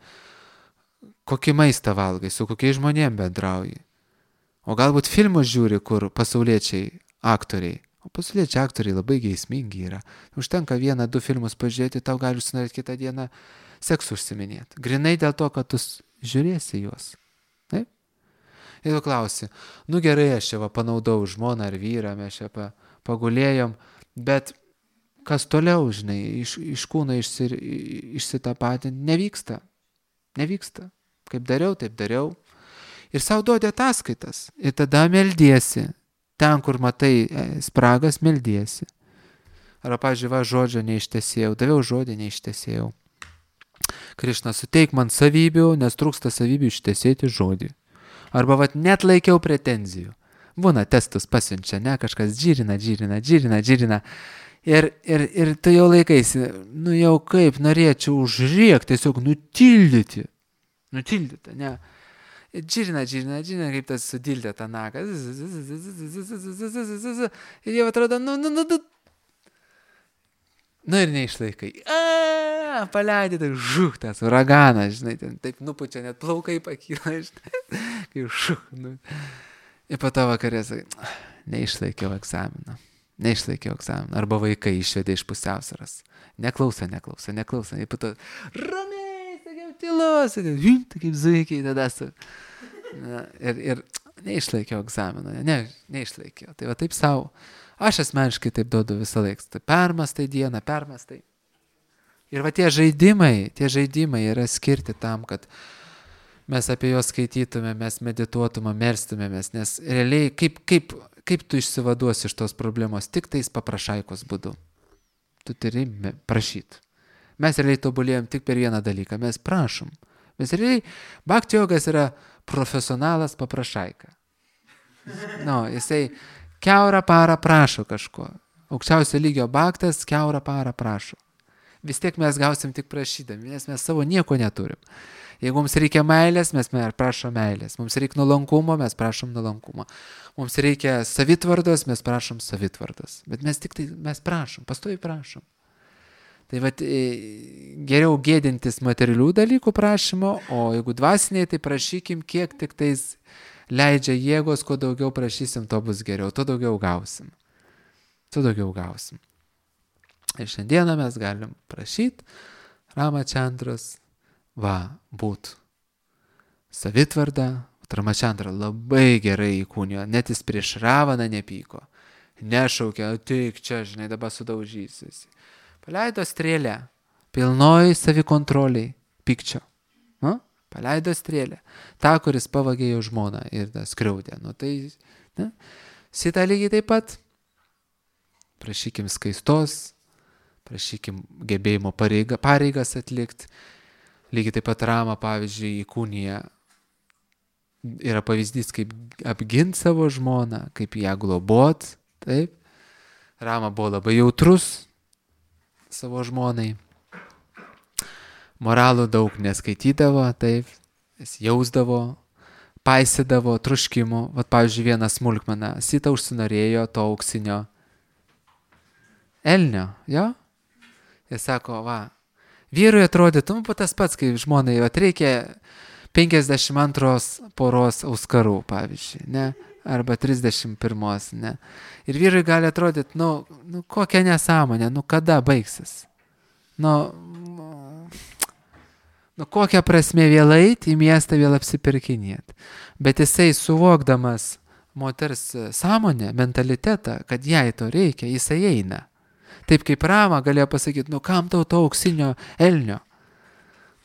Kokį maistą valgai, su kokiais žmonėm bendrauji. O galbūt filmus žiūri, kur pasauliečiai aktoriai. O pasauliečiai aktoriai labai geismingi yra. Užtenka vieną, du filmus pažiūrėti, tau gali užsinorėti kitą dieną seksu užsiminėti. Grinai dėl to, kad tu žiūrėsi juos. Taip? Ir tu klausi, nu gerai, aš čia va panaudau žmoną ar vyrą, mes čia pa, pagulėjom, bet kas toliau, žinai, iš, iš kūno išsi, išsitapatinti, nevyksta. Nevyksta. Kaip dariau, taip dariau. Ir savo duodi ataskaitas. Ir tada meldiesi. Ten, kur matai spragas, meldiesi. Arba, pavyzdžiui, va, žodžio neištesėjau, daviau žodį neištesėjau. Krišna, suteik man savybių, nes trūksta savybių ištesėti žodį. Arba, va, net laikiau pretenzijų. Būna testus pasiunčia, ne, kažkas džirina, džirina, džirina, džirina. Ir, ir, ir tu jau laikaisi, nu jau kaip norėčiau užriekti, tiesiog nutildyti. Nutildyti, ne. Džirina, džirina, džirina, kaip tas sudildė tą nagą. Ir jau atrodo, nu, nu, nu, nu. Nu ir neišlaikai. A, paleidė, tai žuch, tas uraganas, žinai, ten taip nupučia, net plaukai pakyla, žinai. Kaip žuch, nu. Ir po to vakarė sakai, neišlaikiau egzaminą. Neišlaikiau egzaminą. Arba vaikai išvedė iš pusiausvyros. Neklauso, neklauso, neklauso. Ir po to, ramiai. Tylos, tai kaip zuikiai tada su. Na, ir, ir neišlaikiau egzaminą, ne, neišlaikiau. Tai va taip savo. Aš asmeniškai taip duodu visą laiką. Tai permastai dieną, permastai. Ir va tie žaidimai, tie žaidimai yra skirti tam, kad mes apie juos skaitytume, mes medituotume, merstumėmės, nes realiai kaip, kaip, kaip tu išsivaduosi iš tos problemos, tik tais paprašaikos būdu. Tu turi prašyti. Mes realiai tobulėjom tik per vieną dalyką, mes prašom. Mes realiai, bhakti jogas yra profesionalas paprašaika. No, jisai kiaurą parą prašo kažko. Aukščiausio lygio bhaktas kiaurą parą prašo. Vis tiek mes gausim tik prašydami, nes mes savo nieko neturim. Jeigu mums reikia meilės, mes prašom meilės. Mums reikia nuolankumo, mes prašom nuolankumo. Mums reikia savitvardos, mes prašom savitvardos. Bet mes tik tai, mes prašom, pastoviai prašom. Tai vat, geriau gėdintis materialių dalykų prašymo, o jeigu dvasiniai, tai prašykim, kiek tik tais leidžia jėgos, kuo daugiau prašysim, to bus geriau, to daugiau gausim. To daugiau gausim. Ir šiandieną mes galim prašyti Ramachandros, va, būt savitvarda. Ramachandra labai gerai įkūnijo, net jis prieš Ravaną nepyko, nešaukė, tik čia, žinai, dabar sudaužysis. Paleido strėlę, pilnoj savikontroliai, pykčio. Nu? Paleido strėlę, tą, kuris pavagė jo žmoną ir skriaudė. Nu, tai, ne? Sita lygiai taip pat. Prašykim skaistos, prašykim gebėjimo pareiga, pareigas atlikti. Lygiai taip pat Rama, pavyzdžiui, įkūnija yra pavyzdys, kaip apginti savo žmoną, kaip ją globot. Taip. Rama buvo labai jautrus savo žmonai. Moralų daug neskaitydavo, taip. Jis jausdavo, paisydavo troškimų. Vat, pavyzdžiui, vieną smulkmeną. Sita užsinorėjo to auksinio elnio, jo? Jis sako, va, vyrui atrodytų, nu, tas pats, kaip žmonai, vat, reikia penkiasdešimt antros poros auskarų, pavyzdžiui, ne? Arba trisdešimt pirmos, ne? Ir vyrui gali atrodyti, nu, nu kokia nesąmonė, nu, kada baigsis? Nu, nu, kokia prasme vėl eiti į miestą, vėl apsipirkinėti. Bet jisai suvokdamas moters sąmonę, mentalitetą, kad jai to reikia, jisai eina. Taip kaip Rama galėjo pasakyti, nu kam tau to auksinio elnio?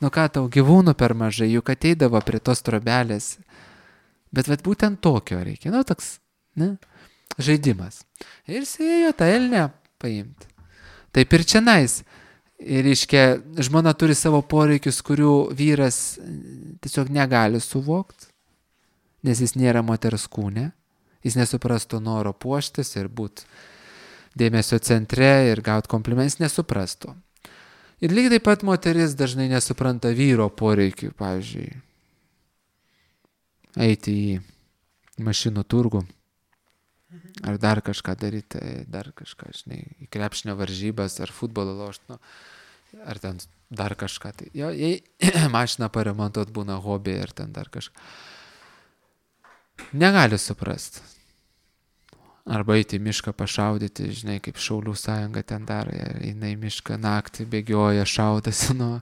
Nu ką tau gyvūnų per mažai, juk ateidavo prie tos trobelės. Bet vat būtent tokio reikia, nu toks, ne, žaidimas. Ir jis ėjo tą elnę paimti. Taip ir čianais. Ir iškia, žmona turi savo poreikius, kurių vyras tiesiog negali suvokti, nes jis nėra moters kūne. Jis nesuprastų noro puoštis ir būti dėmesio centre ir gauti komplimentus, nesuprastų. Ir lygiai taip pat moteris dažnai nesupranta vyro poreikių, pavyzdžiui, eiti į mašinų turgų, ar dar kažką daryti, dar kažką, žinai, į krepšinio varžybas, ar futbolo lošti, nu, ar ten dar kažką. Tai, jo, jei mašiną paremontuot būna hobį, ir ten dar kažką. Negali suprasti. Arba eiti į mišką pašaudyti, žinai, kaip Šaulių sąjunga ten daro, eina į mišką naktį, bėgioja, šaudasi, nu,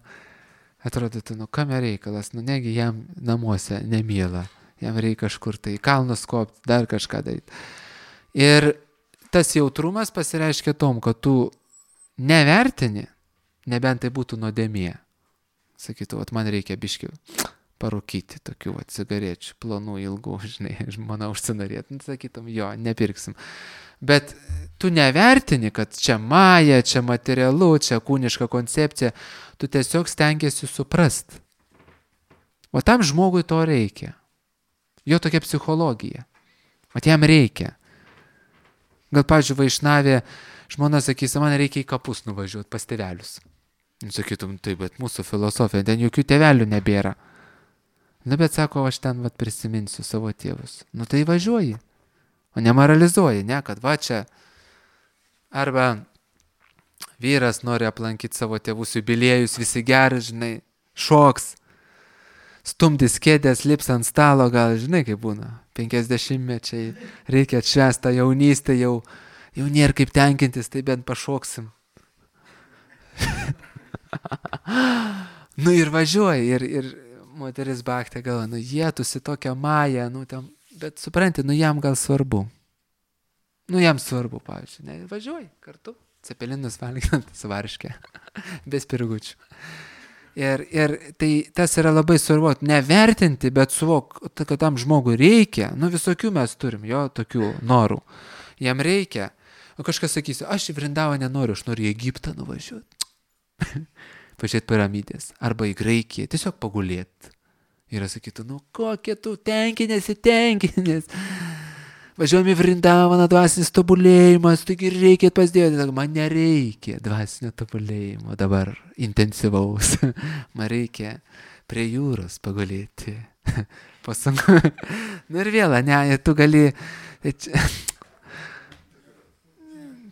atrodytų, nu, kame reikalas, nu, negi jam namuose nemyla, jam reikia kažkur tai kalnus kopti, dar kažką daryti. Ir tas jautrumas pasireiškia tom, kad tu nevertini, nebent tai būtų nuodėmė. Sakytų, vat man reikia biškių parūkyti tokių vat, cigarečių, plonų, ilgų, žinai, žmona užsinorėtų, sakytum, jo, nepirksim. Bet tu nevertini, kad čia maja, čia materialu, čia kūniška koncepcija, tu tiesiog stengiasi suprast. O tam žmogui to reikia. Jo tokia psichologija. O jam reikia. Gal, pavyzdžiui, vaišnavė, žmona sakys, man reikia į kapus nuvažiuoti pas tėvelius. Sakytum, tai, bet mūsų filosofija, ten jokių tėvelių nebėra. Na, bet sako, aš ten vat prisiminsiu savo tėvus. Nu, tai važiuoji, o nemoralizuoji, ne, kad va čia. Arba vyras nori aplankyti savo tėvus jubiliejus, visi gerai, žinai, šoks, stumdys kėdės, lips ant stalo, gal, žinai, kaip būna, penkiasdešimtmečiai, reikia atšvęsti jaunystę, jau, jau nėra kaip tenkintis, tai bent pašoksim. Nu ir važiuoji, ir, ir moteris baktė galva, nu jie tusi tokią mają, nu tam, bet supranti, nu jam gal svarbu. Nu jam svarbu, pavyzdžiui, ne, važiuoji kartu. cepelinus valgant su varške, be spirgučių. Ir, ir tai tas yra labai svarbu, nevertinti, bet suvok, kad tam žmogui reikia, nu visokių mes turim, jo, tokių norų, jam reikia. O kažkas sakys, aš į Vrindavą nenoriu, aš noriu į Egiptą nuvažiuoti, pažiūrėti piramidės, arba į Graikiją, tiesiog pagulėti. Ir sakytų, nu kokie tu tenkinėsi, tenkinės. Važiuojam į Vrindavaną, dvasinis tobulėjimas, taigi reikia pas Dievą. Man nereikia dvasinio tobulėjimo dabar intensyvaus. Man reikia prie jūros pagulėti. Pasunku. Nu ir vėl, ne, tu gali...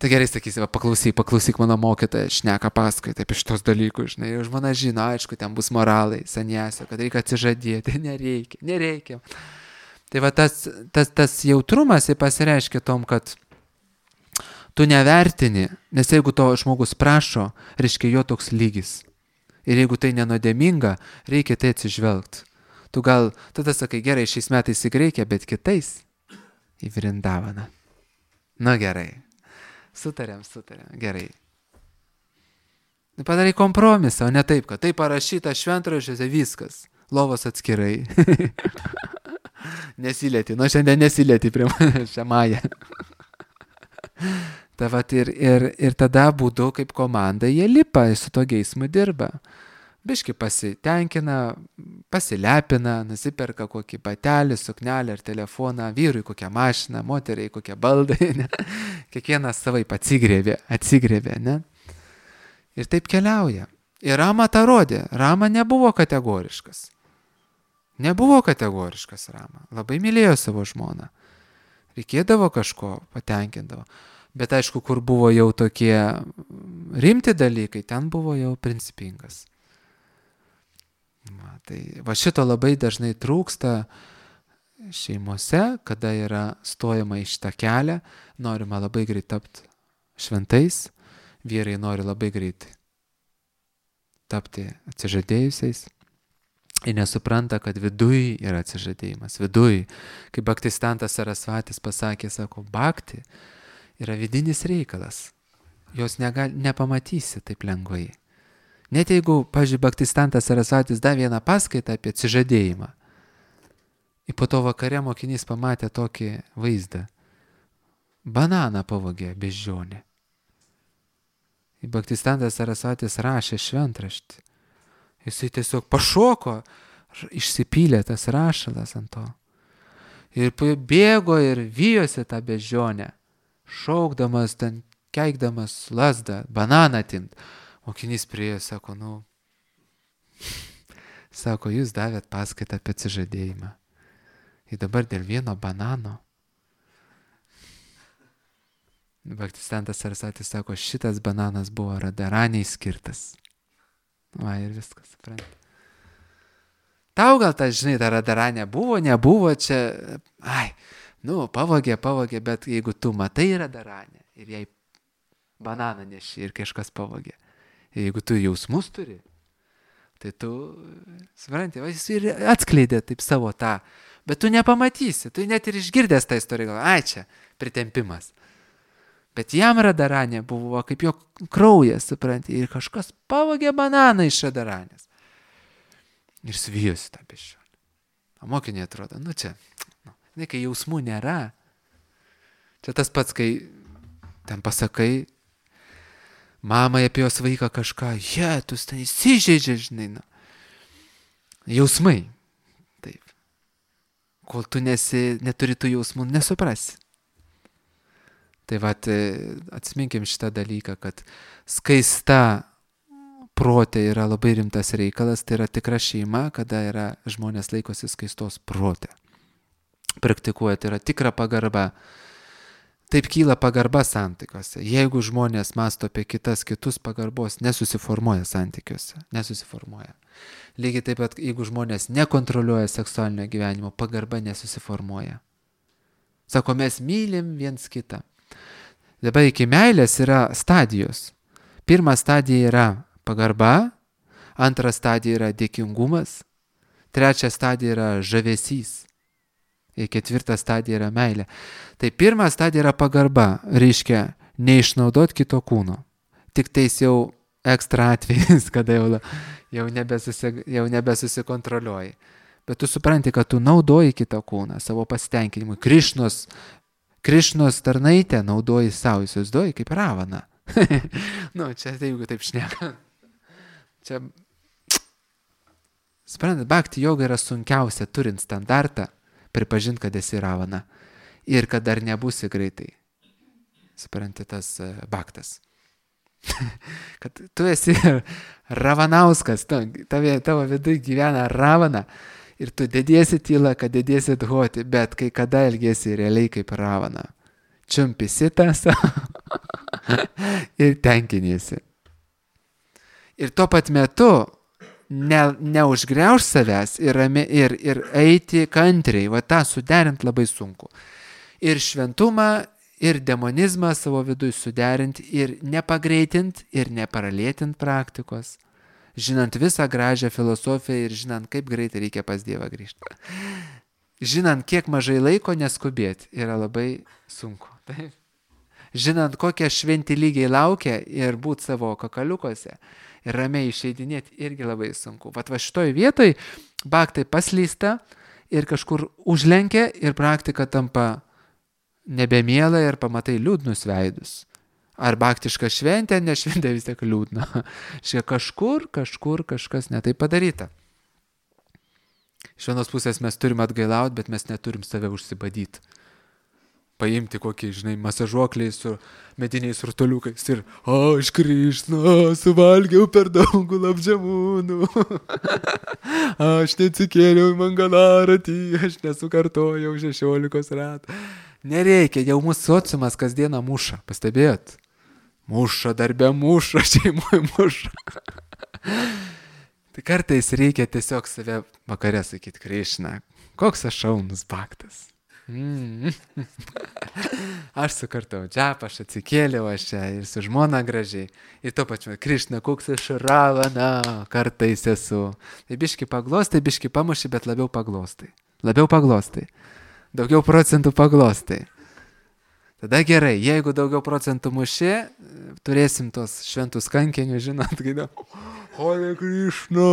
Tai gerai sakysi, va, paklausyk, paklausyk mano mokytoją, šneka paskaitą apie šitos dalykus, žinai, už mane žino, aišku, ten bus moralai, sanjasio, kad reikia atsižadėti, nereikia, nereikia. Tai va tas, tas, tas jautrumas pasireiškia tom, kad tu nevertini, nes jeigu to žmogus prašo, reiškia jo toks lygis. Ir jeigu tai nenodėminga, reikia tai atsižvelgti. Tu gal, tada sakai, gerai, šiais metais į Graikiją, bet kitais į Vrindavaną. Nu gerai, sutarėm, sutarėm, gerai. Padarai kompromisą, o ne taip, kad tai parašyta šventraščiuose viskas, lovos atskirai. Nesilieti, nu šiandien nesilieti prie šią mają. Ta vat ir, ir, ir tada būdu kaip komanda jie lipa, su to geismu dirba. Biški pasitenkina, pasilepina, nusiperka kokį batelį, suknelę ar telefoną, vyrui kokią mašiną, moteriai kokią baldai, ne? Kiekvienas savaip atsigrėvė, atsigrėvė, ne? Ir taip keliauja. Ir Rama tą rodė, Rama nebuvo kategoriškas. Nebuvo kategoriškas Rama, labai mylėjo savo žmoną. Reikėdavo kažko, patenkindavo. Bet aišku, kur buvo jau tokie rimti dalykai, ten buvo jau principingas. Va, tai va šito labai dažnai trūksta šeimose, kada yra stojama į šitą kelią, norima labai greit tapti šventais, vyrai nori labai greit tapti atsižadėjusiais. Ir nesupranta, kad viduj yra atsižadėjimas. Viduj, kaip Bhaktistantas Sarasvatis pasakė, sako, bhakti yra vidinis reikalas. Jos negal, nepamatysi taip lengvai. Net jeigu, pavyzdžiui, Bhaktistantas Sarasvatis davė vieną paskaitą apie atsižadėjimą. Ir po to vakare mokinys pamatė tokį vaizdą. Bananą pavogė beždžionė. Ir Bhaktistantas Sarasvatis rašė šventraštį. Jisai tiesiog pašoko, išsipylė tas rašalas ant to. Ir bėgo ir vijosi tą beždžionę, šaukdamas, ten keikdamas lazdą, bananą atimt. Mokinys priėjo, sako, nu, sako, jūs davėt paskaitą apie atsižadėjimą. Ir dabar dėl vieno banano. Bhaktistantas Sarasvatis sako, šitas bananas buvo Radharaniai skirtas. Va ir viskas, supranti. Tau gal ta, žinai, ta Radharanė buvo, nebuvo čia, ai, nu, pavogė, pavogė, bet jeigu tu matai Radharanę ir jai bananą neši ir kažkas pavogė, ir jeigu tu jausmus turi, tai tu, supranti, va, jis ir atskleidė taip savo tą, bet tu nepamatysi, tu net ir išgirdęs tą istoriją, gal, ai čia, pritempimas. Bet jam Radharanė buvo kaip jo kraujas, supranti, ir kažkas pavogė bananą iš Radharanės. Ir svijosi tą beždžionę. O mokiniai atrodo, nu čia, nu, ne, kai jausmų nėra. Čia tas pats, kai ten pasakai mamai apie jos vaiką kažką, je, tu ten įsižeidžia, žinai, nu. Jausmai. Taip. Kol tu nesi, neturi tų jausmų, nesuprasi. Tai vat, atsiminkim šitą dalyką, kad skaista protė yra labai rimtas reikalas, tai yra tikra šeima, kada yra žmonės laikosi skaistos protė. Praktikuoja, tai yra tikra pagarba. Taip kyla pagarba santykiuose. Jeigu žmonės mąsto apie kitas, kitus, pagarbos nesusiformuoja santykiuose. Nesusiformuoja. Lygiai taip pat, jeigu žmonės nekontroliuoja seksualinio gyvenimo, pagarba nesusiformuoja. Sako, mes mylim viens kitą. Dabar iki meilės yra stadijos. Pirma stadija yra pagarba, antra stadija yra dėkingumas, trečia stadija yra žavesys ir ketvirta stadija yra meilė. Tai pirma stadija yra pagarba, reiškia neišnaudot kito kūno. Tik tais jau ekstra atvejais, kada jau, jau, nebesusi, jau nebesusikontroliuoji. Bet tu supranti, kad tu naudoji kitą kūną savo pasitenkinimui. Krišnos, Krišnos tarnaitę naudoji savo, įsivaizduoji kaip Ravana. Nu, čia jeigu taip šneka. Čia, suprantat, bhakti joga yra sunkiausia, turint standartą, pripažinti, kad esi Ravana. Ir kad dar nebūsi greitai. Supranti, tas uh, bhaktas. Kad tu esi Ravanauskas, tave, tavo viduje gyvena Ravana ir tu dediesi tylą, kad dediesi dhoti, bet kai kada elgiesi realiai kaip Ravana. Čiumpi sitas ir tenkiniesi. Ir tuo pat metu ne, neužgriauž savęs ir, ir, ir eiti kantriai, va tą suderint labai sunku. Ir šventumą, ir demonizmą savo viduje suderinti ir nepagreitint ir neparalėtint praktikos, žinant visą gražią filosofiją ir žinant, kaip greitai reikia pas Dievą grįžti. Žinant, kiek mažai laiko neskubėti, yra labai sunku. Taip? Žinant, kokie šventi lygiai laukia ir būti savo kakaliukose ir ramiai išeidinėti, irgi labai sunku. Vat va šitoj vietoj bhaktai paslysta ir kažkur užlenkia ir praktika tampa nebemiela ir pamatai liūdnus veidus. Ar bhaktiška šventė, ne šventė vis tiek liūdna. Šia kažkur, kažkur kažkas netai padaryta. Iš vienos pusės mes turim atgailauti, bet mes neturim save užsibadyti. Paimti kokį, žinai, masažuokliai su mediniais rutuliukais ir aš Krišna, suvalgiau per daug gulabdžamunų. Aš neatsikėliau į mangalaratį, aš nesukartojau šešiolikos ratų. Nereikia, jau mūsų sociumas kasdieną muša, pastebėjot? Muša, darbė muša, šeimoje muša. Tai kartais reikia tiesiog save vakare sakyti, Krišna, koks aš šaunus bhaktas. Mm. Aš sukartau džapą, aš atsikėliau, aš čia ir su žmona gražiai. Ir to pačiu, Krišna, koks aš Ravana, kartais esu. Tai biški paglostai, biški pamuši, bet labiau paglostai. Labiau paglostai. Daugiau procentų paglostai. Tada gerai, jeigu daugiau procentų muši, turėsim tos šventus kankinius, žinot, gaida. Hare Krishna,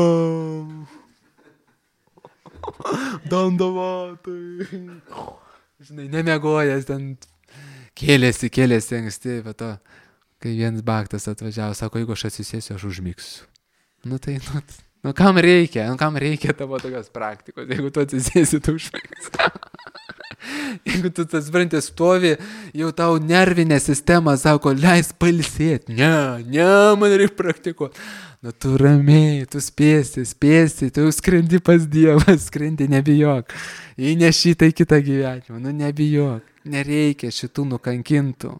dandavatai. Žinai, nemegojęs ten, kėlėsi, kėlėsi anksti, bet to, kai vienas bhaktas atvažiavo, sako, jeigu aš atsisėsiu, aš užmigsiu. Nu tai, nu, nu kam reikia, nu kam reikia tavo tokios praktikos, jeigu tu atsisėsi, tu užmigsi. Jeigu tu tas sprantės stovi, jau tau nervinė sistema sako, leis pailsėti. Ne, ne, man reikia praktikuoti. Nu tu ramiai, tu spėsi, spėsi, tu skrendi pas Dievą, skrendi, nebijok. Įneši tai kitą gyvenimą, nu nebijok. Nereikia šitų nukankintų.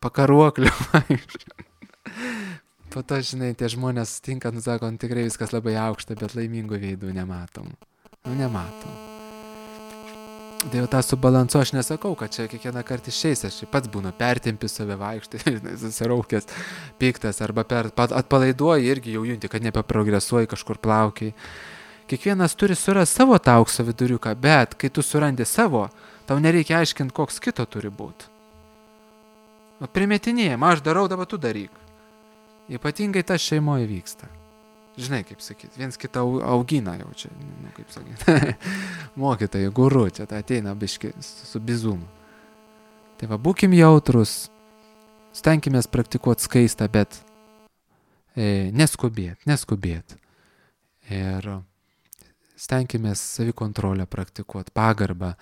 Pakaruoklių. Po to, žinai, tie žmonės sutinka, nu sako, nu, tikrai viskas labai aukšta, bet laimingų veidų nematom. Nu nematom. Tai jau tą subalansu aš nesakau, kad čia kiekvieną kartą išeis, aš pats būnu pertempi save vaikštai, susiraukęs, piktas, arba per, atpalaiduoji irgi jau junti, kad nebeprogresuoji kažkur plaukiai. Kiekvienas turi surasti savo tą aukso viduriuką, bet kai tu surandi savo, tau nereikia aiškinti, koks kito turi būti. O primetinėjim, aš darau, dabar tu daryk. Ypatingai tas šeimoje vyksta. Žinai, kaip sakyti, viens kitą augina jau čia, nu, kaip sakyti, mokytojai, guru, čia tai ateina biški su bizumu. Tai va, būkim jautrus, stenkimės praktikuoti skaistą, bet e, neskubėt, neskubėt. Ir stenkimės savikontrolę praktikuoti, pagarbą,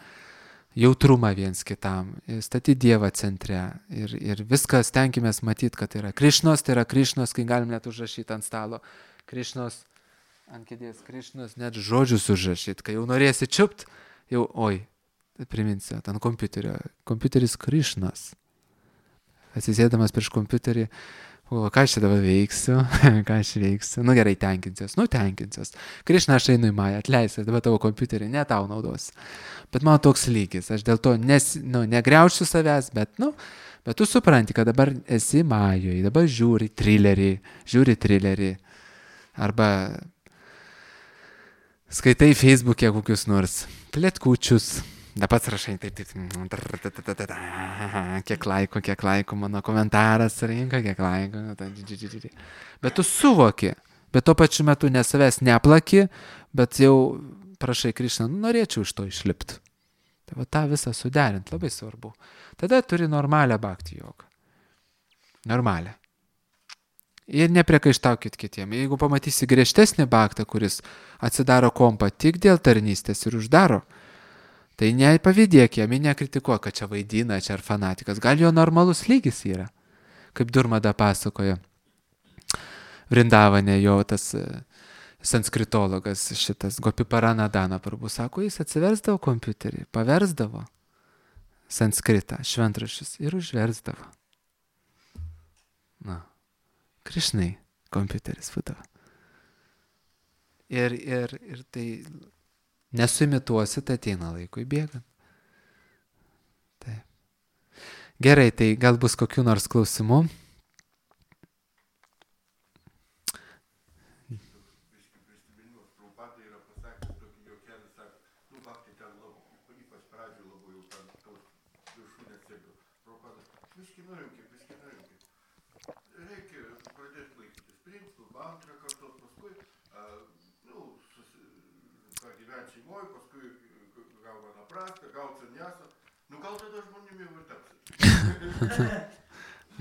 jautrumą viens kitam, statyti Dievą centre ir, ir viską stenkimės matyti, kad tai yra Krišnos, tai yra Krišnos, kai galim net užrašyti ant stalo. Krišnos, ant kėdės Krišnos, net žodžius užrašyti, kai jau norėsi čiupt, jau, oi, priminsiu, ant kompiuterio, kompiuteris Krišnos. Atsisėdamas prieš kompiuterį, o ką aš čia dabar veiksiu, ką aš veiksiu, nu gerai, tenkinsiuos, nu tenkinsiuos. Krišna, aš einu į Mają, atleisiu, dabar tavo kompiuterį, ne tau naudos. Bet mano toks lygis, aš dėl to nes, nu, negriaušiu savęs, bet, nu, bet tu supranti, kad dabar esi Majoje, dabar žiūri trilerį, žiūri trilerį. Arba skaitai Facebook'e kokius nors plėtkučius, Da pats rašai, taip, taip, kiek laikų, kiek laikų, mano komentaras rinka, kiek laikų. Bet tu suvoki, bet tuo pačiu metu ne savęs neplaki, bet jau prašai Krišną, nu, norėčiau iš to išlipti. Tai va tą visą suderint labai svarbu. Tada turi normalią bhakti jogą. Normalią. Ir nepriekaištaukit kitiem. Jeigu pamatysi griežtesnį bhaktą, kuris atsidaro kompą tik dėl tarnystės ir uždaro, tai nepavydėk jam, nekritikuok, kad čia vaidina, čia ar fanatikas. Gal jo normalus lygis yra. Kaip Durmada pasakojo. Vrindavane jo tas sanskritologas, šitas Gopiparanadana Prabhu, sako, jis atsiversdavo kompiuterį, paversdavo sanskritą, šventraščius ir užversdavo. Na, Krišnai kompiuteris būdavo. Ir, ir, ir tai nesuimituosi, tai ateina laikui bėgant. Taip. Gerai, tai gal bus kokių nors klausimų?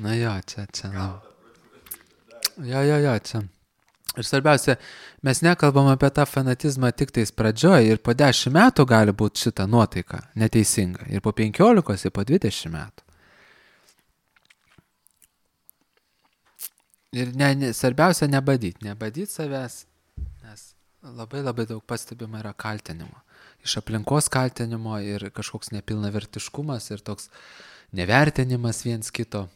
Na jo, čia, čia. Jo, jo, jo, čia. Ir svarbiausia, mes nekalbam apie tą fanatizmą tik tais pradžioj ir po dešimt metų gali būti šita nuotaika neteisinga. Ir po penkiolikos, ir po dvidešimt metų. Ir ne, ne, svarbiausia nebadyti, nebadyti savęs, nes labai labai daug pastebima yra kaltinimo. Iš aplinkos kaltinimo ir kažkoks nepilnavertiškumas ir toks nevertinimas viens kito.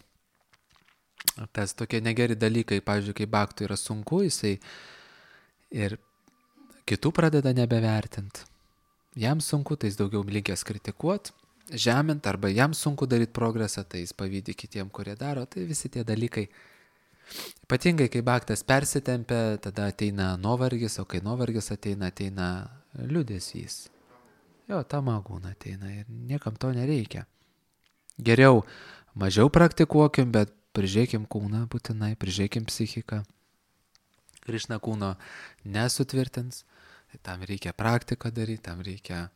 Tas tokie negeri dalykai, pavyzdžiui, kai bhaktų yra sunku, jisai ir kitų pradeda nebevertinti. Jam sunku, tai jis daugiau linkęs kritikuoti, žemint, arba jam sunku daryti progresą, tai jis pavydi kitiem, kurie daro, tai visi tie dalykai. Ypatingai, kai bhaktas persitempia, tada ateina nuovargis, o kai nuovargis ateina, ateina liūdesys. Jo, tamagūna ateina ir niekam to nereikia. Geriau mažiau praktikuokim, bet prižiūrėkim kūną būtinai, prižiūrėkim psichiką. Krišna kūno nesutvirtins, tai tam reikia praktiką daryti, tam reikia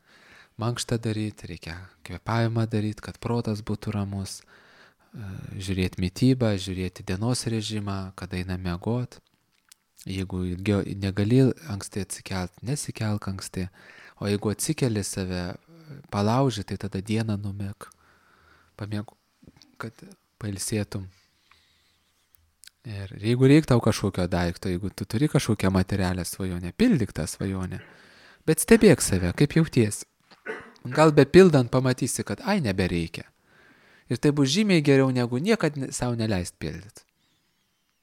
mankštą daryti, reikia kvėpavimą daryti, kad protas būtų ramus, žiūrėti mitybą, žiūrėti dienos režimą, kada eina miegot. Jeigu negali anksti atsikelt, nesikelk anksti, o jeigu atsikeli save, palauži, tai tada dieną numėg, pamėg, kad pailsėtum. Ir jeigu reik tau kažkokio daikto, jeigu tu turi kažkokią materialią svajonę, pildyk tą svajonę, bet stebėk save, kaip jauties. Gal bepildant pamatysi, kad ai nebereikia. Ir tai bus žymiai geriau, negu niekad savo neleist pildyti.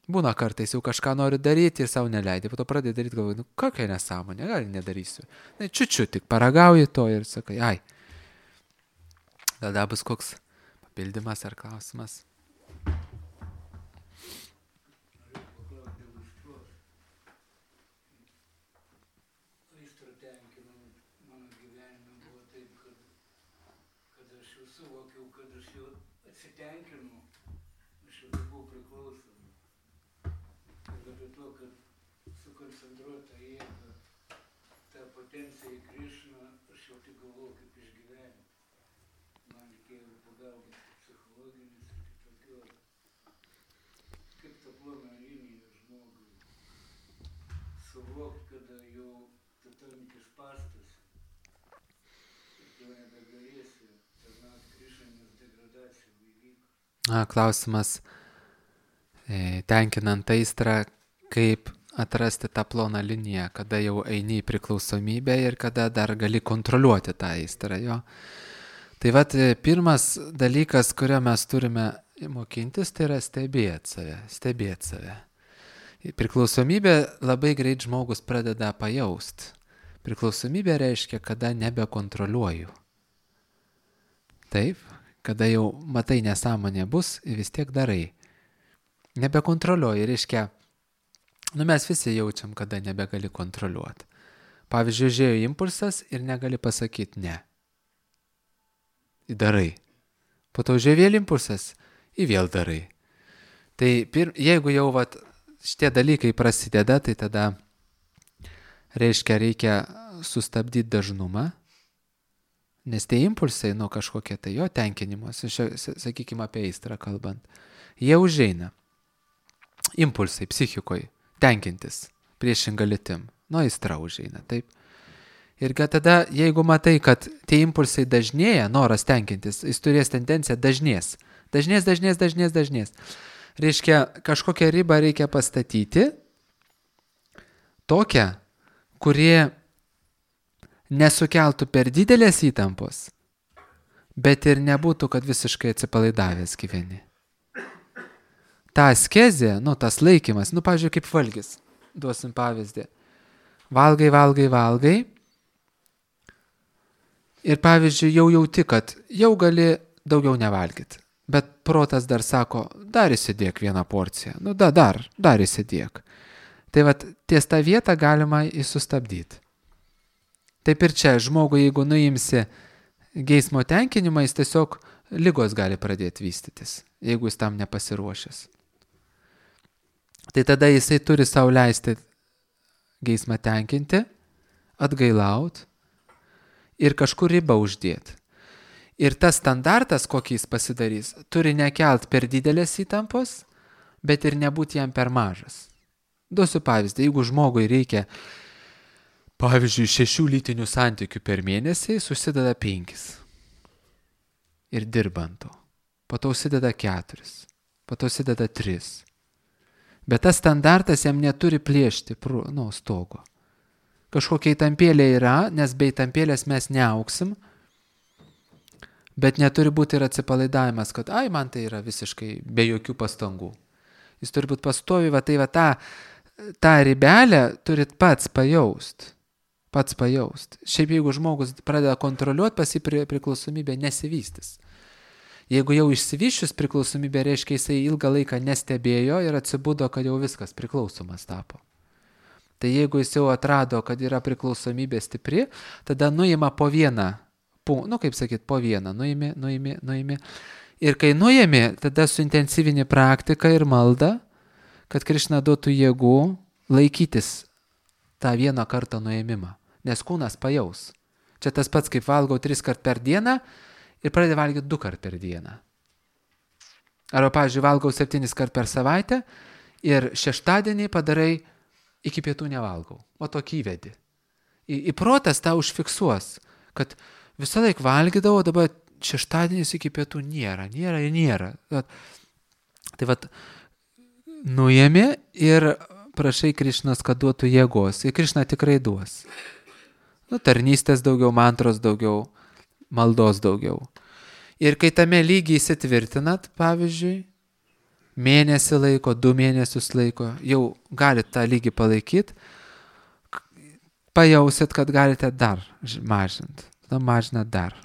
Būna kartais jau kažką nori daryti ir savo neleidai, po to pradedi daryti, galvoju, nu kokia nesąmonė, gal nedarysiu. Na, čiučiu, tik paragauji to ir sakai, ai. Tada bus koks papildymas ar klausimas. Na, klausimas, e, tenkinant aistrą, kaip atrasti tą ploną liniją, kada jau eini į priklausomybę ir kada dar gali kontroliuoti tą aistrą. Jo. Tai vat, pirmas dalykas, kurio mes turime mokintis, tai yra stebėti save, stebėti save. Priklausomybė labai greit žmogus pradeda pajaust. Priklausomybė reiškia, kada nebekontroliuoju. Taip? Kada jau matai nesąmonė bus, vis tiek darai. Nebekontroliuoji, reiškia, nu mes visi jaučiam, kada nebegali kontroliuoti. Pavyzdžiui, žiūrėjo impulsas ir negali pasakyti ne. darai. Po to užėjo vėl impulsas, į vėl darai. Tai pir, jeigu jau vat, šitie dalykai prasideda, tai tada reiškia reikia sustabdyti dažnumą, nes tie impulsai nuo kažkokie tai jo tenkinimas, sakykime apie aistrą kalbant, jie užeina. Impulsai psichikoje tenkintis priešinga lytim, nuo aistra užeina, taip. Ir kad tada, jeigu matai, kad tie impulsai dažnėja, noras tenkintis, jis turės tendenciją dažnės. Dažnės, dažnės, dažnės, dažnės. Reiškia, kažkokią ribą reikia pastatyti, tokią, kurie nesukeltų per didelės įtampos, bet ir nebūtų, kad visiškai atsipalaidavęs gyveni. Ta askezė, nu, tas laikymas, nu, pavyzdžiui, kaip valgis, duosim pavyzdį. Valgai, valgai, valgai. Ir pavyzdžiui, jau jauti, kad jau gali daugiau nevalgyti. Bet protas dar sako, dar įsidėk vieną porciją. Nu, da, dar, dar įsidėk. Tai vat, ties tą vietą galima įsustabdyti. Taip ir čia, žmogui, jeigu nuimsi geismo tenkinimą, jis tiesiog ligos gali pradėti vystytis, jeigu jis tam nepasiruošęs. Tai tada jisai turi sau leisti geismą tenkinti, atgailaut, ir kažkur ribą uždėti. Ir tas standartas, kokį jis pasidarys, turi nekelt per didelės įtampos, bet ir nebūti jam per mažas. Duosiu pavyzdį, jeigu žmogui reikia, pavyzdžiui, šešių lytinių santykių per mėnesį, susideda penkis. Ir dirbanto. Po to užsideda keturis. Po to užsideda tris. Bet tas standartas jam neturi plėšti, nu, stogo. Kažkokia įtampėlė yra, nes be įtampėlės mes neauksim, bet neturi būti ir atsipalaidavimas, kad ai, man tai yra visiškai be jokių pastangų. Jis turi būti pastovi, va tai va tą, tą ribelę turit pats pajaust, pats pajaust. Šiaip jeigu žmogus pradeda kontroliuoti, pas jį priklausomybė nesivystys. Jeigu jau išsivyščius priklausomybė, reiškia jisai ilgą laiką nestebėjo ir atsibudo, kad jau viskas priklausomas tapo. Tai jeigu jis jau atrado, kad yra priklausomybė stipri, tada nuima po vieną, nu kaip sakyt, po vieną, nuimi, nuimi, nuimi. Ir kai nuimi, tada suintensyvini praktiką ir maldą, kad Krišna duotų jėgų laikytis tą vieną kartą nuėmimą, nes kūnas pajaus. Čia tas pats, kaip valgau tris kart per dieną ir pradedi valgyti du kart per dieną. Arba, pavyzdžiui, valgau septynis kart per savaitę ir šeštadienį padarai iki pietų nevalgau, o tokį įvedi. Į, į protas tą užfiksuos, kad visą laiką valgydavo, dabar šeštadienis iki pietų nėra, nėra ir nėra. Tai vat, nuėmė ir prašai Krišnos, kad duotų jėgos. Ir Krišna tikrai duos. Nu, tarnystės daugiau, mantros daugiau, maldos daugiau. Ir kai tame lygiai įsitvirtinat, pavyzdžiui, mėnesį laiko, du mėnesius laiko, jau galite tą lygį palaikyti, pajausit, kad galite dar mažinti. Tada mažinat dar.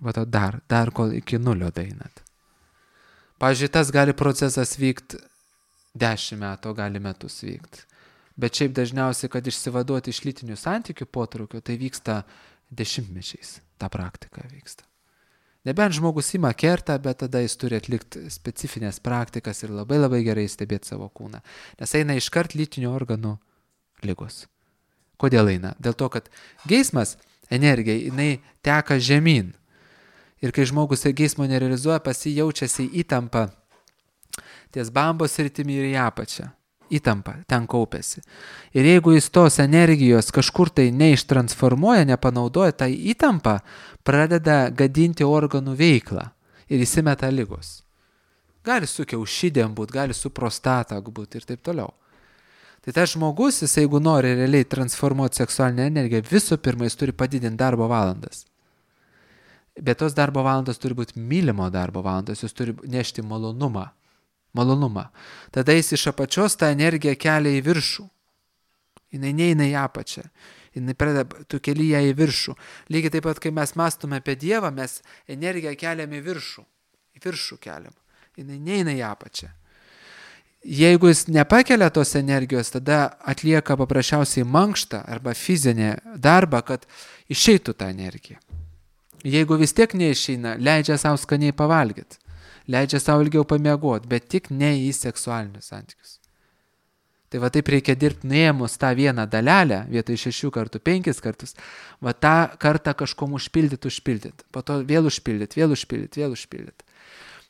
Va to dar, dar kol iki nulio daeinat. Pavyzdžiui, tas gali procesas vykti dešimt metų, gali metus vykti. Bet šiaip dažniausiai, kad išsivaduoti iš lytinių santykių potraukio, tai vyksta dešimtmečiais. Ta praktika vyksta. Nebent žmogus ima kertą, bet tada jis turi atlikti specifines praktikas ir labai labai gerai stebėti savo kūną. Nes eina iškart lytinių organų ligos. Kodėl eina? Dėl to, kad geismas, energija, jinai teka žemyn. Ir kai žmogus geismo nerealizuoja, pas jį jaučiasi įtampa ties bambos sritimi ir į apačią. Įtampa, ten kaupiasi. Ir jeigu jis tos energijos kažkur tai neištransformuoja, nepanaudoja, tai įtampa pradeda gadinti organų veiklą ir įsimeta ligos. Gali su kiaušidėm būt, gali su prostata būt ir taip toliau. Tai tas žmogus, jis jeigu nori realiai transformuoti seksualinę energiją, visų pirma, jis turi padidinti darbo valandas. Bet tos darbo valandos turi būti mylimo darbo valandos, jis turi nešti malonumą. Malonumą. Tada jis iš apačios tą energiją kelia į viršų. Jinai neina į apačią. Jinai pradeda, tu keli ją į viršų. Lygiai taip pat, kai mes mąstume apie Dievą, mes energiją keliam į viršų. Į viršų keliam. Jinai neina į apačią. Jeigu jis nepakelia tos energijos, tada atlieka paprasčiausiai mankštą arba fizinę darbą, kad išeitų tą energiją. Jeigu vis tiek neišeina, leidžia savo skaniai pavalgyti, leidžia savo ilgiau pamiegoti, bet tik ne į seksualinius santykius. Tai va taip reikia dirbti nuėmus tą vieną dalelę, vietoj šešių kartų, penkis kartus, va tą kartą kažkom užpildyti, užpildyti, po to vėl užpildyti, vėl užpildyti, vėl užpildyti.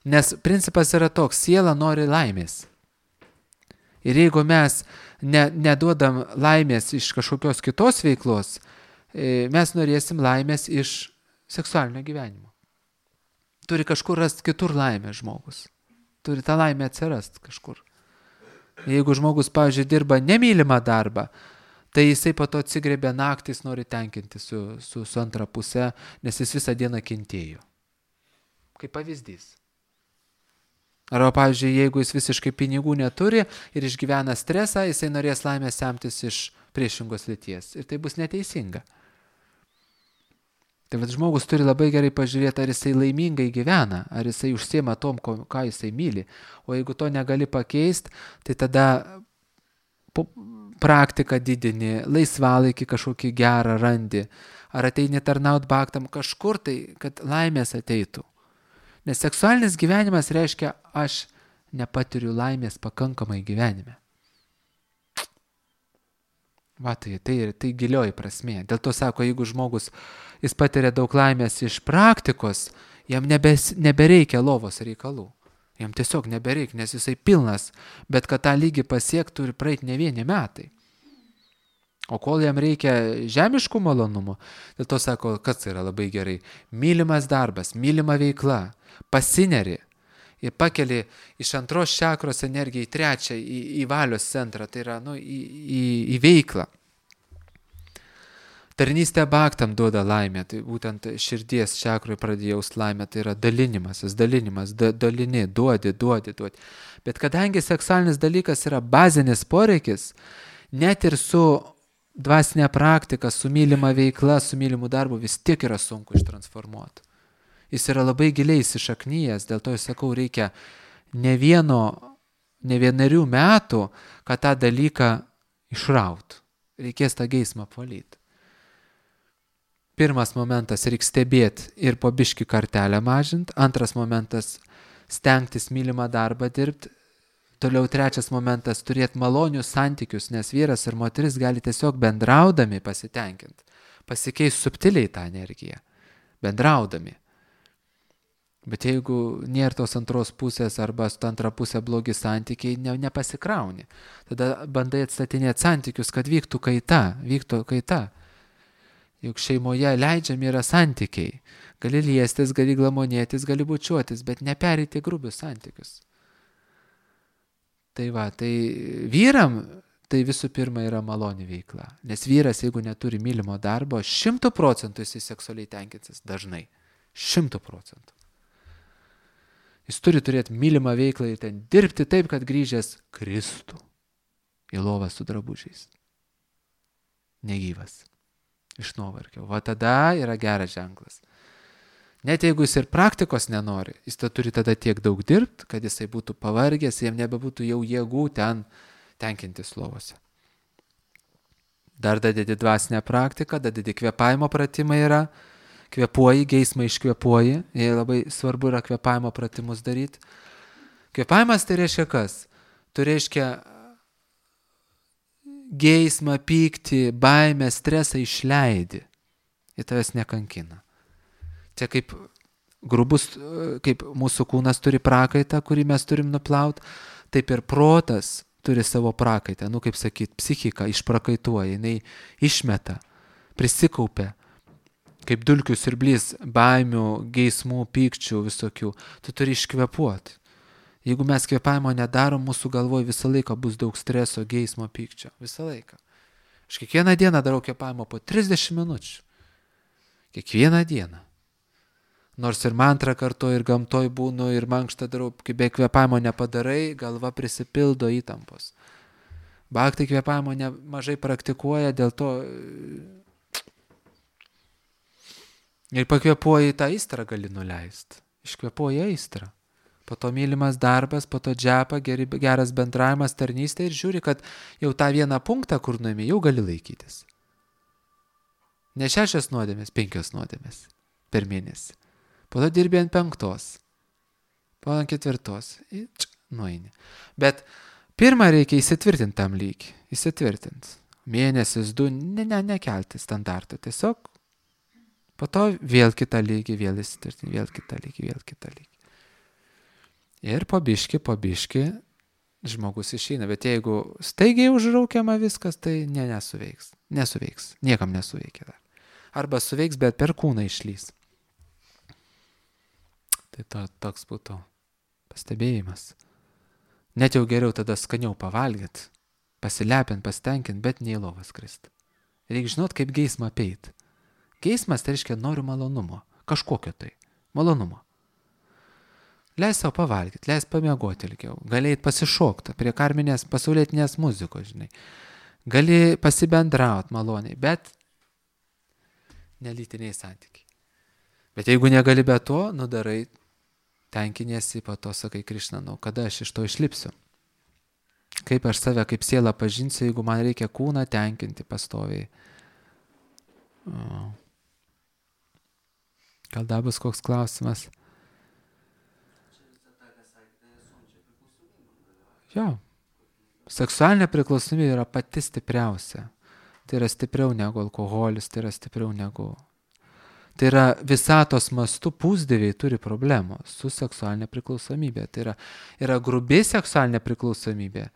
Nes principas yra toks, siela nori laimės. Ir jeigu mes ne, neduodam laimės iš kažkokios kitos veiklos, mes norėsim laimės iš seksualinio gyvenimo. Turi kažkur rasti kitur laimę žmogus. Turi tą laimę atsirast kažkur. Jeigu žmogus, pavyzdžiui, dirba nemylimą darbą, tai jisai po to atsigrėbė naktis, nori tenkinti su, su, su antra puse, nes jis visą dieną kentėjo. Kaip pavyzdys. Arba, pavyzdžiui, jeigu jis visiškai pinigų neturi ir išgyvena stresą, jisai norės laimės semtis iš priešingos lyties. Ir tai bus neteisinga. Tai vat žmogus turi labai gerai pažiūrėti, ar jisai laimingai gyvena, ar jisai užsiema tom, ko, ką jisai myli. O jeigu to negali pakeisti, tai tada praktiką didini, laisvalaikį kažkokį gerą randi, ar ateini tarnaut baktam kažkur tai, kad laimės ateitų. Nes seksualinis gyvenimas reiškia, aš nepatiriu laimės pakankamai gyvenime. Va, tai, tai, tai gilioji prasmė. Dėl to sako, jeigu žmogus, jis patiria daug laimės iš praktikos, jam nebes, nebereikia lovos reikalų. Jam tiesiog nebereikia, nes jisai pilnas, bet kad tą lygį pasiekt turi praeiti ne vieni metai. O kol jam reikia žemiškų malonumų, dėl to sako, kas yra labai gerai. Mylimas darbas, mylima veikla, pasineri ir pakeli iš antros čakros energiją į trečią, į, į valios centrą, tai yra nu, į, į, į veiklą. Tarnystė baktam duoda laimę, tai būtent širdies čakroje pradėjaus laimę, tai yra dalinimasis, dalinimas, da, dalini, duodi, duodi, duodi. Bet kadangi seksualinis dalykas yra bazinis poreikis, net ir su dvasinė praktika, su mylima veikla, su mylimu darbu vis tiek yra sunku ištransformuoti. Jis yra labai giliai įsišaknyjęs, dėl to aš sakau, reikia ne vieno, ne vienerių metų, kad tą dalyką išraut. Reikės tą geismą apvalyti. Pirmas momentas reikia stebėti ir po biškį kartelę mažinti. Antras momentas stengtis mylimą darbą dirbti. Toliau trečias momentas turėti malonius santykius, nes vyras ir moteris gali tiesiog bendraudami pasitenkinti. Pasikeis subtiliai tą energiją. Bendraudami. Bet jeigu nėra tos antros pusės arba su antra pusė blogi santykiai, ne, nepasikrauni. Tada bandai atstatinėti santykius, kad vyktų kaita, vyktų kaita. Juk šeimoje leidžiami yra santykiai. Gali liestis, gali glamonėtis, gali bučiuotis, bet neperėti grubius santykius. Tai va, tai vyram tai visų pirma yra maloni veikla. Nes vyras, jeigu neturi mylimo darbo, šimtų procentų jis seksualiai tenkinsis dažnai. Šimtų procentų. Jis turi turėti mylimą veiklą ir ten dirbti taip, kad grįžęs kristų į lovą su drabužiais. Negyvas. Iš nuovargio. Va tada yra geras ženklas. Net jeigu jis ir praktikos nenori, jis ta turi tada tiek daug dirbti, kad jisai būtų pavargęs, jam nebebūtų jau jėgų ten tenkintis lovose. Dar dadedi dvasinę praktiką, dadedi kvėpavimo pratimai yra, kvėpuoji, geismą iškvėpuoji, jie labai svarbu yra kvėpavimo pratimus daryti. Kvėpavimas tai reiškia kas? Tai reiškia geismą, pyktį, baimę, stresą išleidi. Ir tavęs nekankina. Čia kaip grubus, kaip mūsų kūnas turi prakaitą, kurį mes turim nuplauti, taip ir protas turi savo prakaitą. Nu, kaip sakyt, psichika išprakaituoja, jinai išmeta, prisikaupia. Kaip dulkių siurblys, baimių, geismų, pykčių visokių, tu turi iškvėpuoti. Jeigu mes kvėpavimo nedarom, mūsų galvoje visą laiką bus daug streso, geismo, pykčio. Visą laiką. Aš kiekvieną dieną darau kvėpavimo po trisdešimt minučių. Kiekvieną dieną. Nors ir mantrą kartuoju, ir gamtoj būnu, ir mankštą darau, kai be kvėpavimo nepadarai, galva prisipildo įtampos. Bhaktai kvėpavimo mažai praktikuoja, dėl to ir pakvėpuoji tą aistrą gali nuleisti. Iškvėpuoji aistrą. Po to mylimas darbas, po to džepa, geri, geras bendravimas, tarnystė ir žiūri, kad jau tą vieną punktą, kur nuimi, jau gali laikytis. Ne šešias nuodėmės, penkios nuodėmės. per mėnesį. Po to dirbi ant penktos. Po ant ketvirtos. Nueini. Bet pirmą reikia įsitvirtinti tam lygį. Įsitvirtinti. Mėnesis, du, ne, ne, nekelti standartų. Tiesiog po to vėl kitą lygį, vėl įsitvirtinti, vėl kitą lygį, vėl kitą lygį. Ir po biški, po biški žmogus išeina. Bet jeigu staigiai užraukiama viskas, tai ne, nesuveiks. Nesuveiks. Niekam nesuveikia dar. Arba suveiks, bet per kūną išlys. Tai to, toks būtų pastebėjimas. Net jau geriau tada skaniau pavalgyt, pasilepint, pasitenkint, bet ne į lovas krist. Reikia žinot, kaip geismą apeit. Geismas tai reiškia noriu malonumo. Kažkokio tai. Malonumo. Leis savo pavalgyti, leis pamiegoti ilgiau. Gali eit pasišokti prie karminės pasaulietinės muzikos, žinai. Gali pasibendraut maloniai, bet nelytiniai santykiai. Bet jeigu negali be to, nudarai, tenkiniesi, po to sakai Krišna, nu, kada aš iš to išlipsiu? Kaip aš save, kaip sielą pažinsiu, jeigu man reikia kūną tenkinti pastoviai? O. Gal dar bus koks klausimas? Jo. Seksualinė priklausomybė yra pati stipriausia. Tai yra stipriau negu alkoholis, tai yra stipriau negu... Tai yra visatos mastu pusdieviai turi problemų su seksualinė priklausomybė. Tai yra, yra grubi seksualinė priklausomybė,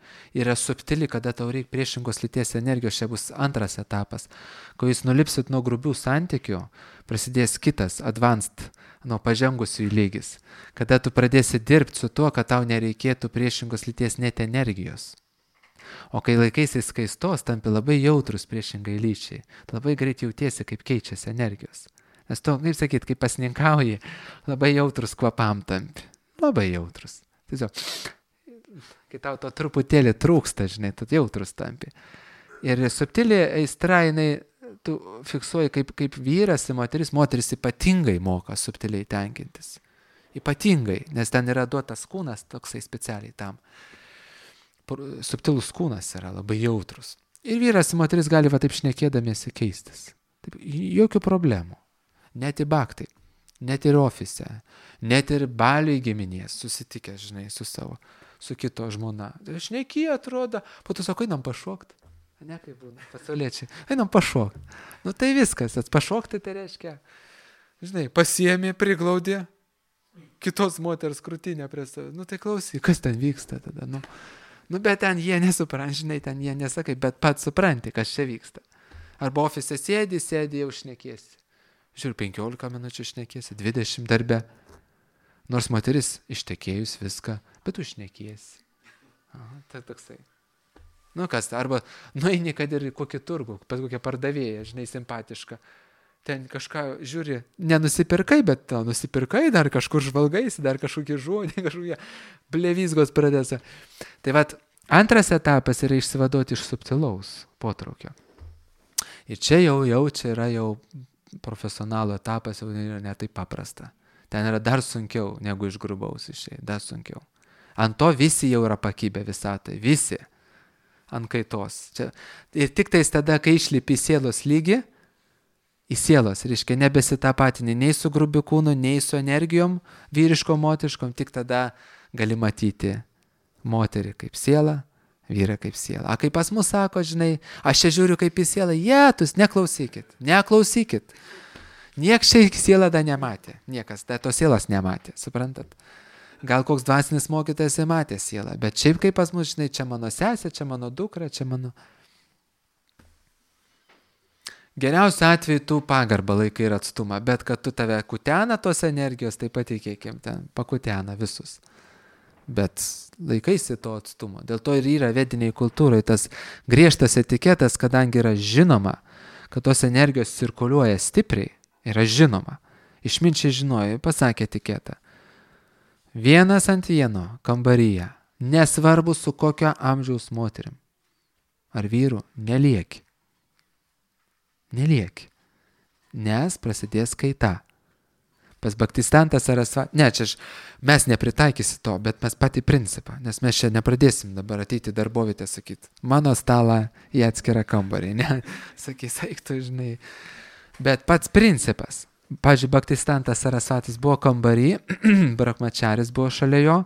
yra subtili, kada tau reikia priešingos lyties energijos, čia bus antras etapas. Kai jūs nulipsit nuo grubių santykių, prasidės kitas, advanced, nuo pažengusių lygis. Kada tu pradėsi dirbti su tuo, kad tau nereikėtų priešingos lyties net energijos. O kai laikaisi skaistos, tampi labai jautrus priešingai lyčiai. Labai greit jautiesi, kaip keičiasi energijos. Nes tu, kaip sakyt, kai pasninkauji, labai jautrus kvapam tampi. Labai jautrus. Tiesiog, kai tau to truputėlį trūksta, žinai, tu jautrus tampi. Ir subtili aistra, jinai, tu fiksuoji kaip, kaip vyras ir moteris, moteris ypatingai moka subtiliai tenkintis. Ypatingai, nes ten yra duotas kūnas toksai specialiai tam. Subtilus kūnas yra labai jautrus. Ir vyras ir moteris gali va taip šnekėdamiesi keistis. Taip, jokių problemų. Net į baktai, net ir ofise, net ir baliui giminės susitikę, žinai, su savo, su kito žmona. Šneki atrodo, po to sako, einam pašokti. Ne kaip būna, pasauliečiai, einam pašokti. Nu tai viskas, pašokti tai reiškia, žinai, pasiėmė, priglaudė kitos moters krūtinę prie savo. Nu tai klausyk, kas ten vyksta tada, nu. Nu, bet ten jie nesuprant, žinai, ten jie nesakai, bet pats supranti, kas čia vyksta. Arba ofise sėdi, sėdi, jau šnekėsi. Žiūrėjau, penkiolika minučių šnekėsi, dvidešimt darbe. Nors moteris ištekėjus viską, bet tu šnekėsi. Aha, tai toksai. Nu kas, arba nueini, kad ir kokį turgų, pas kokią pardavėją, žinai, simpatišką. Ten kažką žiūri, nenusipirkai, bet to nusipirkai, dar kažkur žvalgaisi, dar kažkokie žodžiai, kažkokie blevizgos pradėsa. Tai vat, antras etapas yra išsivaduoti iš subtilaus potraukio. Ir čia jau, jau, čia yra jau profesionalų etapas, jau yra ne taip paprasta. Ten yra dar sunkiau, negu iš grubaus išėjai, dar sunkiau. Ant to visi jau yra pakibę visatai, visi ant kaitos. Čia. Ir tik tais tada, kai išlipi į sielos lygį, į sielos, reiškia, nebesitapatini nei su grubiu kūnu, nei su energijom vyriškom, moteriškom, tik tada gali matyti moterį kaip sielą, vyrą kaip sielą. A kaip pas mus sako, žinai, aš čia žiūriu kaip į sielą, jėtus, neklausykit, neklausykit. Nieks čia sielą dar nematė, niekas, dar tos sielos nematė, suprantat? Gal koks dvasinis mokytojas matė sielą, bet šiaip kaip pas mus, žinai, čia mano sesė, čia mano dukra, čia mano... Geriausiu atveju tu pagarbą laikai ir atstumą, bet kad tu tave kutena tos energijos, tai patikėkim, ten pakutena visus. Bet laikaisi to atstumo. Dėl to ir yra vediniai kultūrai tas griežtas etiketas, kadangi yra žinoma, kad tos energijos cirkuliuoja stipriai, yra žinoma. Išminčiai žinojo, pasakė etiketą. Vienas ant vieno kambaryje, nesvarbu su kokio amžiaus moterim ar vyru, nelieki. Nelieki, nes prasidės kaita. Pas Bhaktistantas Sarasvati, ne, čia aš, mes nepritaikysi to, bet mes patį principą, nes mes čia nepradėsim dabar ateiti darbovietę sakyti, mano stalą į atskirą kambarį, ne, sakys, eik tu, žinai. Bet pats principas, pavyzdžiui, Bhaktistantas Sarasvatis buvo kambarį, Brahmacharis buvo šalia jo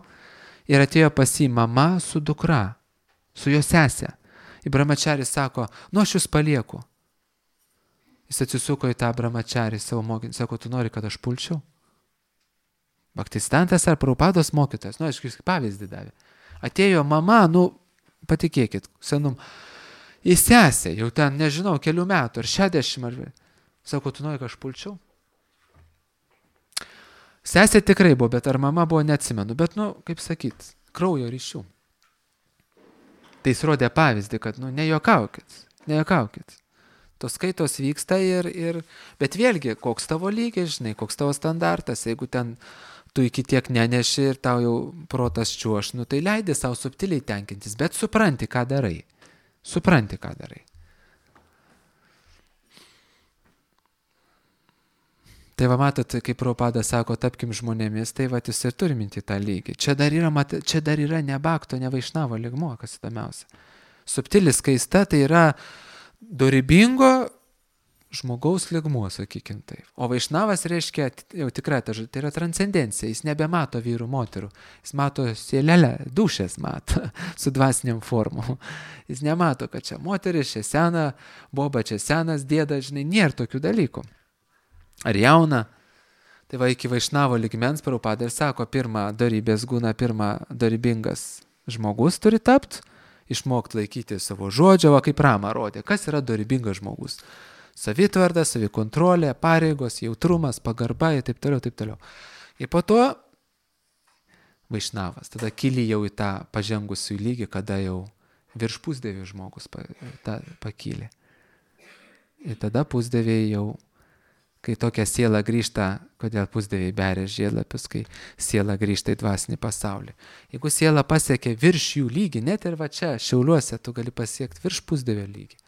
ir atėjo pas jį mama su dukra, su jo sesė. Ir Brahmacharis sako, nu aš jūs palieku. Jis atsisuko į tą Brahmacharį savo mokinį, sako, tu nori, kad aš pulčiau? Bhaktistantas ar Prabhupados mokytojas, nu, aš jūs pavyzdį davė. Atėjo mama, nu, patikėkit, senum, į sesę, jau ten, nežinau, kelių metų, ar šešiasdešimt, ar... Sako, tu nori, kad aš pulčiau? Sesė tikrai buvo, bet ar mama buvo, neatsimenu, bet, nu, kaip sakyt, kraujo ryšių. Tai jis rodė pavyzdį, kad, nu, nejuokaukit, nejuokaukit. Tos skaitos vyksta ir, ir, bet vėlgi, koks tavo lygis, žinai, koks tavo standartas, jeigu ten tu iki tiek neneši ir tau jau protas čiuoš, nu tai leidi savo subtiliai tenkintis, bet supranti, ką darai. Supranti, ką darai. Tai va matot, kaip Prabhupada sako, tapkim žmonėmis, tai va jis ir turi minti tą lygį. Čia dar yra, čia dar yra ne Bhakto, ne Vaišnavo lygmuo, kas įdomiausia. Subtilis skaista tai yra dorybingo žmogaus lygmuo, sakykim taip. O Vaišnavas reiškia, jau tikrai, tai yra transcendencija, jis nebemato vyrų, moterų, jis mato sielelę, dušės mato, su dvasiniam formom. Jis nemato, kad čia moteris, čia sena, boba, čia senas dėda, žinai, nėra tokių dalykų. Ar jauna, tai va iki Vaišnavo lygmens Prabhupada ir sako, pirmą dorybės gūną, pirmą dorybingas žmogus turi tapti, išmokti laikyti savo žodžio, va kaip Rama rodė, kas yra dorybingas žmogus. Savitvarda, savikontrolė, pareigos, jautrumas, pagarba ir taip toliau, taip toliau. Ir po to Vaišnavas, tada kyli jau į tą pažengusių lygį, kada jau virš pusdievių žmogus pa, ta, pakylė. Ir tada pusdieviai jau, kai tokia siela grįžta, kodėl pusdieviai beria žiedlapius, kai siela grįžta į dvasinį pasaulį. Jeigu siela pasiekia virš jų lygį, net ir va čia, Šiauliuose, tu gali pasiekti virš pusdievio lygį.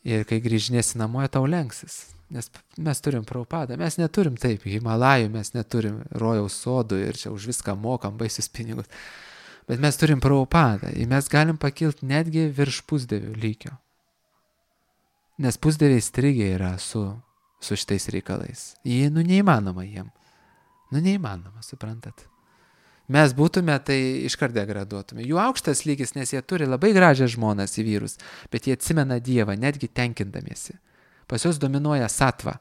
Ir kai grįžinėsi namo, tau lenksis. Nes mes turim Prabhupadą, mes neturim taip, Himalajų, mes neturim rojaus sodų ir čia už viską mokam baisius pinigus. Bet mes turim Prabhupadą ir mes galim pakilti netgi virš pusdievių lygio. Nes pusdieviai strigė yra su, su šitais reikalais. Jie, nu, neįmanoma jiem. Nu, neįmanoma, suprantat. Mes būtume, tai iškart degraduotume. Jų aukštas lygis, nes jie turi labai gražią žmonas į vyrus, bet jie atsimena Dievą, netgi tenkindamiesi. Pas juos dominuoja satva,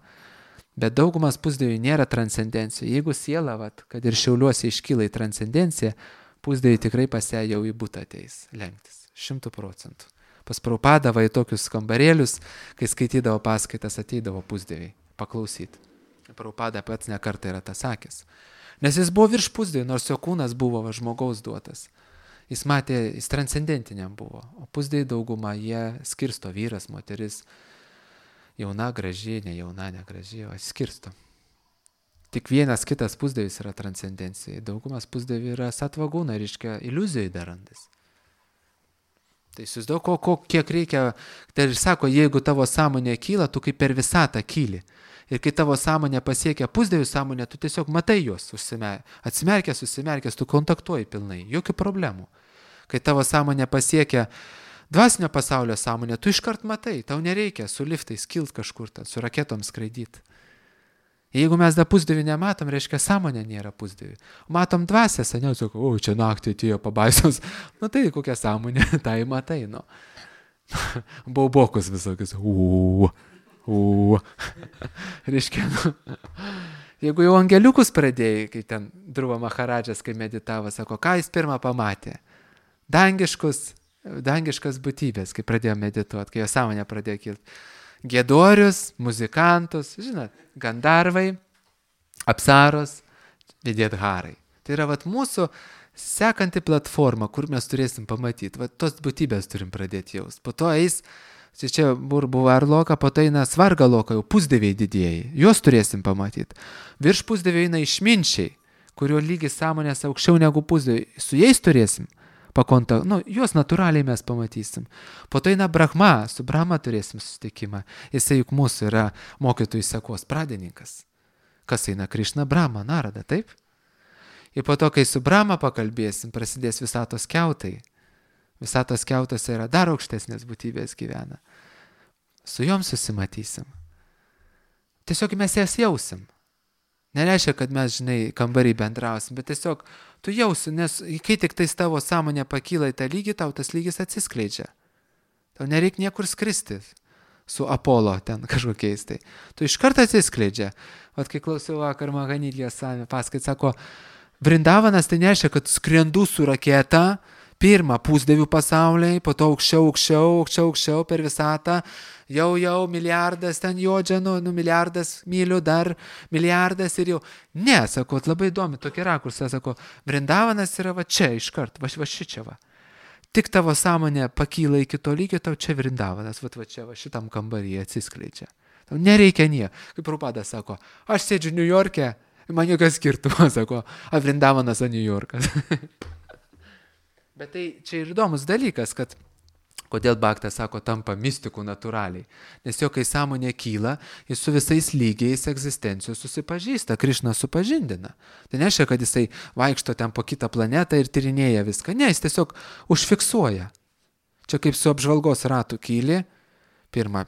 bet daugumas pusdievių nėra transcendencijų. Jeigu siela, vat, kad ir Šiauliuose iškyla į transcendenciją, pusdieviai tikrai pas ją jau į butą ateis lenktis. Šimtų procentų. Pas Prabhupadą va į tokius kambarėlius, kai skaitydavo paskaitas, ateidavo pusdieviai paklausyti. Prabhupada pats ne kartą yra tas sakęs. Nes jis buvo virš pusdievių, nors jo kūnas buvo va, žmogaus duotas. Jis matė, jis transcendentiniam buvo. O pusdieviai dauguma, jie skirsto vyras, moteris, jauna, graži, ne jauna, ne graži, o skirsto. Tik vienas kitas pusdievis yra transcendencija. Daugumas pusdievių yra satvagūna, reiškia iliuzijai darantis. Tai įsivaizduok, ko, ko, kiek reikia, tai ir sako, jeigu tavo sąmonė kyla, tu kaip per visatą kyli. Ir kai tavo sąmonė pasiekia pusdievių sąmonę, tu tiesiog matai juos, atsimerkęs, susimerkęs, tu kontaktuoji pilnai, jokių problemų. Kai tavo sąmonė pasiekia dvasinio pasaulio sąmonę, tu iškart matai, tau nereikia su liftais kilt kažkur, ten, su raketom skraidyti. Jeigu mes dar pusdievių nematom, reiškia sąmonė nėra pusdievių. Matom dvasę, seniau sako, o čia naktį atėjo pabaisos, nu tai kokia sąmonė, tai matai, nu. Baubokus visokius, uuu. U. Reiškia, nu, jeigu jau angeliukus pradėjai, kai ten Dhruva Maharadžas, kai meditavo, sako, ką jis pirmą pamatė? Dangiškus, dangiškas būtybės, kai pradėjo medituoti, kai jo sąmonė pradėjo kilti. Giedorius, muzikantus, žinot, gandarvai, apsaros, vidėdharai. Tai yra vat mūsų sekanti platforma, kur mes turėsim pamatyti. Vat tos būtybės turim pradėti jaust. Po to eis Čia čia buvo ar loka, po to eina svarga loka, jau pusdieviai didieji. Juos turėsim pamatyti. Virš pusdieviai eina išminčiai, kurio lygis sąmonės aukščiau negu pusdieviai. Su jais turėsim pakontaktą. Nu, juos natūraliai mes pamatysim. Po to eina Brahma, su Brahma turėsim susitikimą. Jisai juk mūsų yra mokytojų sekos pradininkas. Kas eina? Krišna, Brahma, Narada, taip? Ir po to, kai su Brahma pakalbėsim, prasidės visatos kiautai. Visatos kiautose yra dar aukštesnės būtybės gyvena. Su jom susimatysim. tiesiog mes jas jausim. Nereiškia, kad mes, žinai, kambarį bendrausim, bet tiesiog tu jausi, nes kai tik tais tavo sąmonė pakyla į tą lygį, tau tas lygis atsiskleidžia. Tau nereikia niekur skristi su Apolo ten kažkokiais tai. Tu iš karto atsiskleidžia. Vat kai klausiau vakar Mahanidijos Sami paskait, sako, Vrindavanas tai nereiškia, kad skrendu su raketa, pirmą pusdievių pasauliai, po to aukščiau, aukščiau, aukščiau, aukščiau per visatą, jau, jau milijardas ten jodžia, nu, nu milijardas mylių, dar milijardas ir jau. Ne, sako, labai įdomi tokia rakursą, sako, Vrindavanas yra va čia iškart, va, va šičia va. Tik tavo sąmonė pakyla iki to lygio, tau čia Vrindavanas, va, va čia va šitam kambaryje atsiskleidžia. Tau nereikia nie. Kaip Prabhupada sako, aš sėdžiu New York'e, man jokios skirtumo, sako, a Vrindavanas, a New Yorkas. Bet tai čia ir įdomus dalykas, kad kodėl Bhakta, sako, tampa mistikų natūraliai. Nes jo, kai sąmonė kyla, jis su visais lygiais egzistencijos susipažįsta, Krišna supažindina. Tai nereiškia, kad jisai vaikšto ten po kitą planetą ir tyrinėja viską. Ne, jis tiesiog užfiksuoja. Čia kaip su apžvalgos ratu kyli, pirmą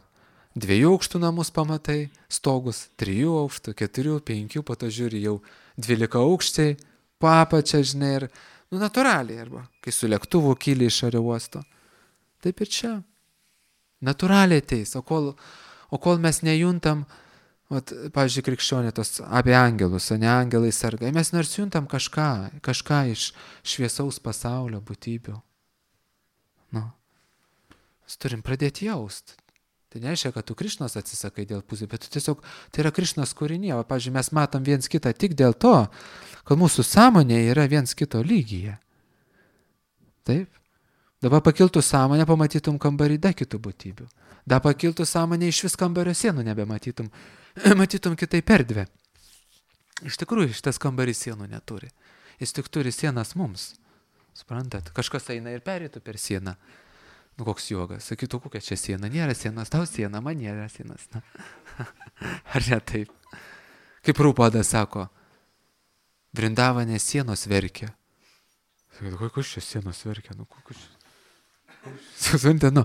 dviejų aukštų namus pamatai, stogus trijų aukštų, keturių, penkių, po to žiūri jau dvylika aukščiai, papačia, žinai, ir nu, natūraliai, arba kai su lėktuvu kyli iš oro uosto. Taip ir čia. Natūraliai ateis, o kol, o kol mes nejuntam, vat, pavyzdžiui, krikščionė tos apie angelus, o ne angelai sargai, mes nors juntam kažką, kažką iš šviesaus pasaulio būtybių. Nu, mes turim pradėti jaust. Tai nereiškia, kad tu Krišnos atsisakai dėl pusė, bet tu tiesiog, tai yra Krišnos kūrinė. O, pavyzdžiui, mes matom viens kitą tik dėl to, kad mūsų sąmonė yra viens kito lygyje. Taip? Dabar pakiltų sąmonę, pamatytum kambarį dar kitų būtybių. Dabar pakiltų sąmonę, iš vis kambario sienų nebematytum. Matytum kitaip erdvę. Iš tikrųjų, šitas kambarys sienų neturi. Jis tik turi sienas mums. Suprantat? Kažkas eina ir pereitų per sieną. Nu, koks jogas. Sakytų, kokia čia siena. Nėra sienas, tau siena, man nėra sienas. Na. Ar ne taip? Kaip Prabhupada sako, Vrindavane sienos verkia. Sakytų, kokios čia sienos verkia? Nu, kokios čia... Susvantė, nu,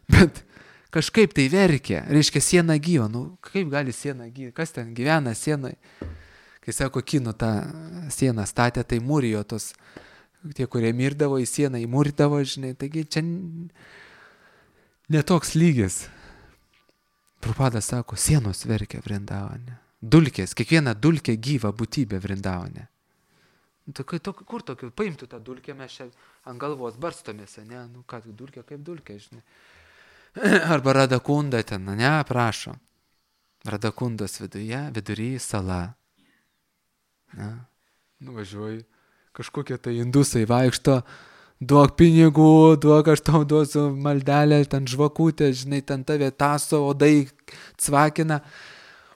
bet kažkaip tai verkia. Reiškia, siena gyva. Nu, kaip gali siena gyva? Kas ten gyvena sienai? Kai sako, kinų tą sieną statė, tai mūrijo tos... Tie, kurie mirdavo į sieną, įmūrdavo, žinai, taigi čia netoks lygis. Prabhupada sako, sienos verkia Vrindavane. Dulkės, kiekviena dulkė gyva būtybė Vrindavane. Nu, tai, to, kur tokiu, paimtų tą dulkę, mes čia ant galvos barstomės, ne, nu ką, dulkė kaip dulkė, žinai. Arba Radakunda ten, ne, prašo. Radakundos viduje, vidury sala. Na, nuvažiuoju. Kažkokie tai indusai vaikšto, duok pinigų, duok aš tau duosiu maldelę, ten žvakutė, žinai, ten tave taso, odai cvakina.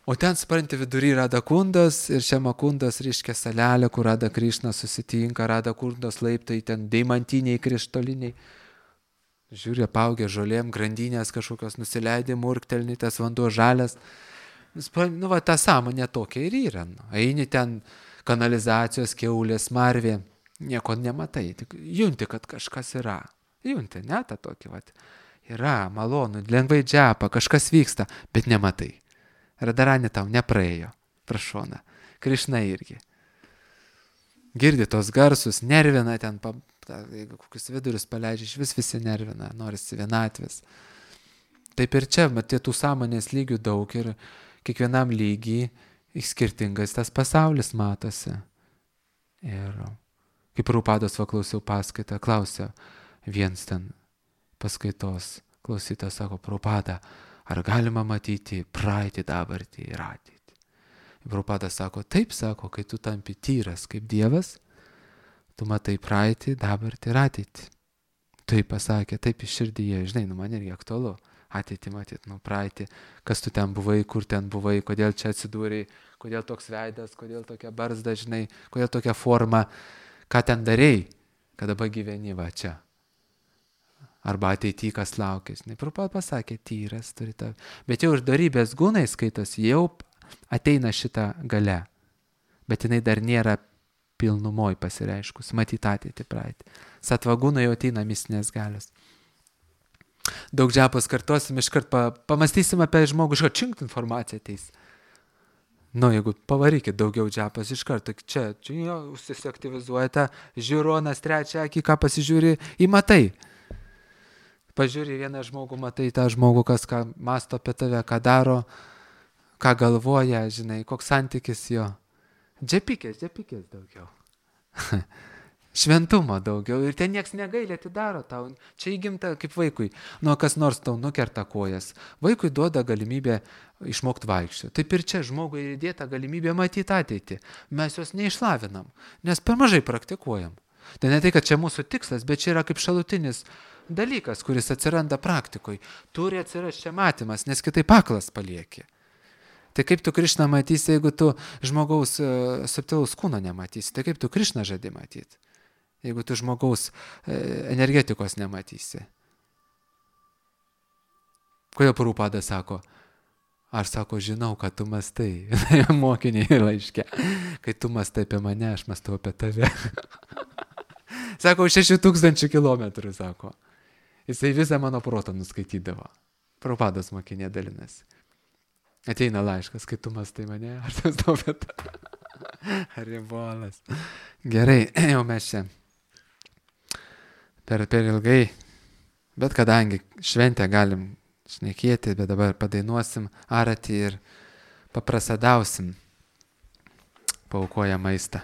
O ten, supranti, vidury Radakundos ir Šemakundos, reiškia salelė, kur Rada Krišna susitinka, Radakundos laiptai, ten deimantiniai, krištoliniai. Žiūrė, paugė žolėm, grandinės kažkokios nusileidė, murktelni, tas vanduo žalias. Nu, va, ta sąmonė tokia ir yra. Nu. Eini ten kanalizacijos, kiaulės, marvė, nieko nematai, tik junti, kad kažkas yra. Junti, ne, tą tokį, vat. Yra, malonu, lengvai džiapa, kažkas vyksta, bet nematai. Radarani tau nepraėjo, prašona. Krišna irgi. Girdi tos garsus, nervina ten, pa, ta, jeigu kokius vidurius paleidžia, iš vis visi nervina, norisi vienatvės. Taip ir čia, matai, tų sąmonės lygių daug ir kiekvienam lygiai skirtingas tas pasaulis matosi. Ir kaip Prabhupados va klausiau paskaitą, klausia viens ten paskaitos klausytas, sako, Prabhupada, ar galima matyti praeitį, dabartį ir ateitį? Prabhupada sako, taip, sako, kai tu tampi tyras kaip Dievas, tu matai praeitį, dabartį ir ateitį. Taip pasakė, taip iš širdyje, žinai, nu man irgi aktualu. Ateitį matyt, nu praeitį, kas tu ten buvai, kur ten buvai, kodėl čia atsidūrei, kodėl toks veidas, kodėl tokia barzda, žinai, kodėl tokia forma, ką ten darei, kad dabar gyveni va čia. Arba ateity, kas laukia, žinai. Prabhupada pasakė, tyras turi tą. Bet jau iš darybės gūnai skaitosi, jau ateina šitą gale. Bet jinai dar nėra pilnumoj pasireiškus, matyti ateitį praeitį. Satvagūnai jau ateina mistinės galios. Daug džiapos kartosim, iškart pa, pamastysim apie žmogų, iškart činkt informaciją ateis. Nu, jeigu pavarykit daugiau džepas iš karto, čia, čia jo, užsisiaktyvizuojate, žiūronas trečią akį, ką pasižiūri, įmatai. Pažiūri vieną žmogų, matai tą žmogų, kas ką masto apie tave, ką daro, ką galvoja, žinai, koks santykis jo. Džepikės, džepikės daugiau. Šventumo daugiau ir ten nieks negailė atidaro tau. Čia įgimta kaip vaikui. Nu, kas nors tau nukerta kojas. Vaikui duoda galimybę išmokti vaikščioti. Taip ir čia žmogui įdėta galimybė matyti ateitį. Mes jos neišlavinam, nes per mažai praktikuojam. Tai ne tai, kad čia mūsų tikslas, bet čia yra kaip šalutinis dalykas, kuris atsiranda praktikoj. Turi atsirasti čia matymas, nes kitaip aklas palieki. Tai kaip tu Krišną matysi, jeigu tu žmogaus uh, subtilaus kūno nematysi? Tai kaip tu Krišną žadi matyti? Jeigu tu žmogaus e, energetikos nematysi. Kodėl Prabhupada sako, aš sako, žinau, kad tu mastai, mokiniai laiške, kai tu mastai apie mane, aš mastau apie tave. Sako, šešių tūkstančių kilometrų, sako. Jisai visą mano protą nuskaitydavo. Prabhupados mokinė dalinasi. Ateina laiškas, kai tu mastai mane, aš mastau apie tave. Ribolas. Gerai, jau mes čia. Per, per ilgai, bet kadangi šventę galim šnekėti, bet dabar padainuosim aratį ir paprasadausim, paaukoję maistą.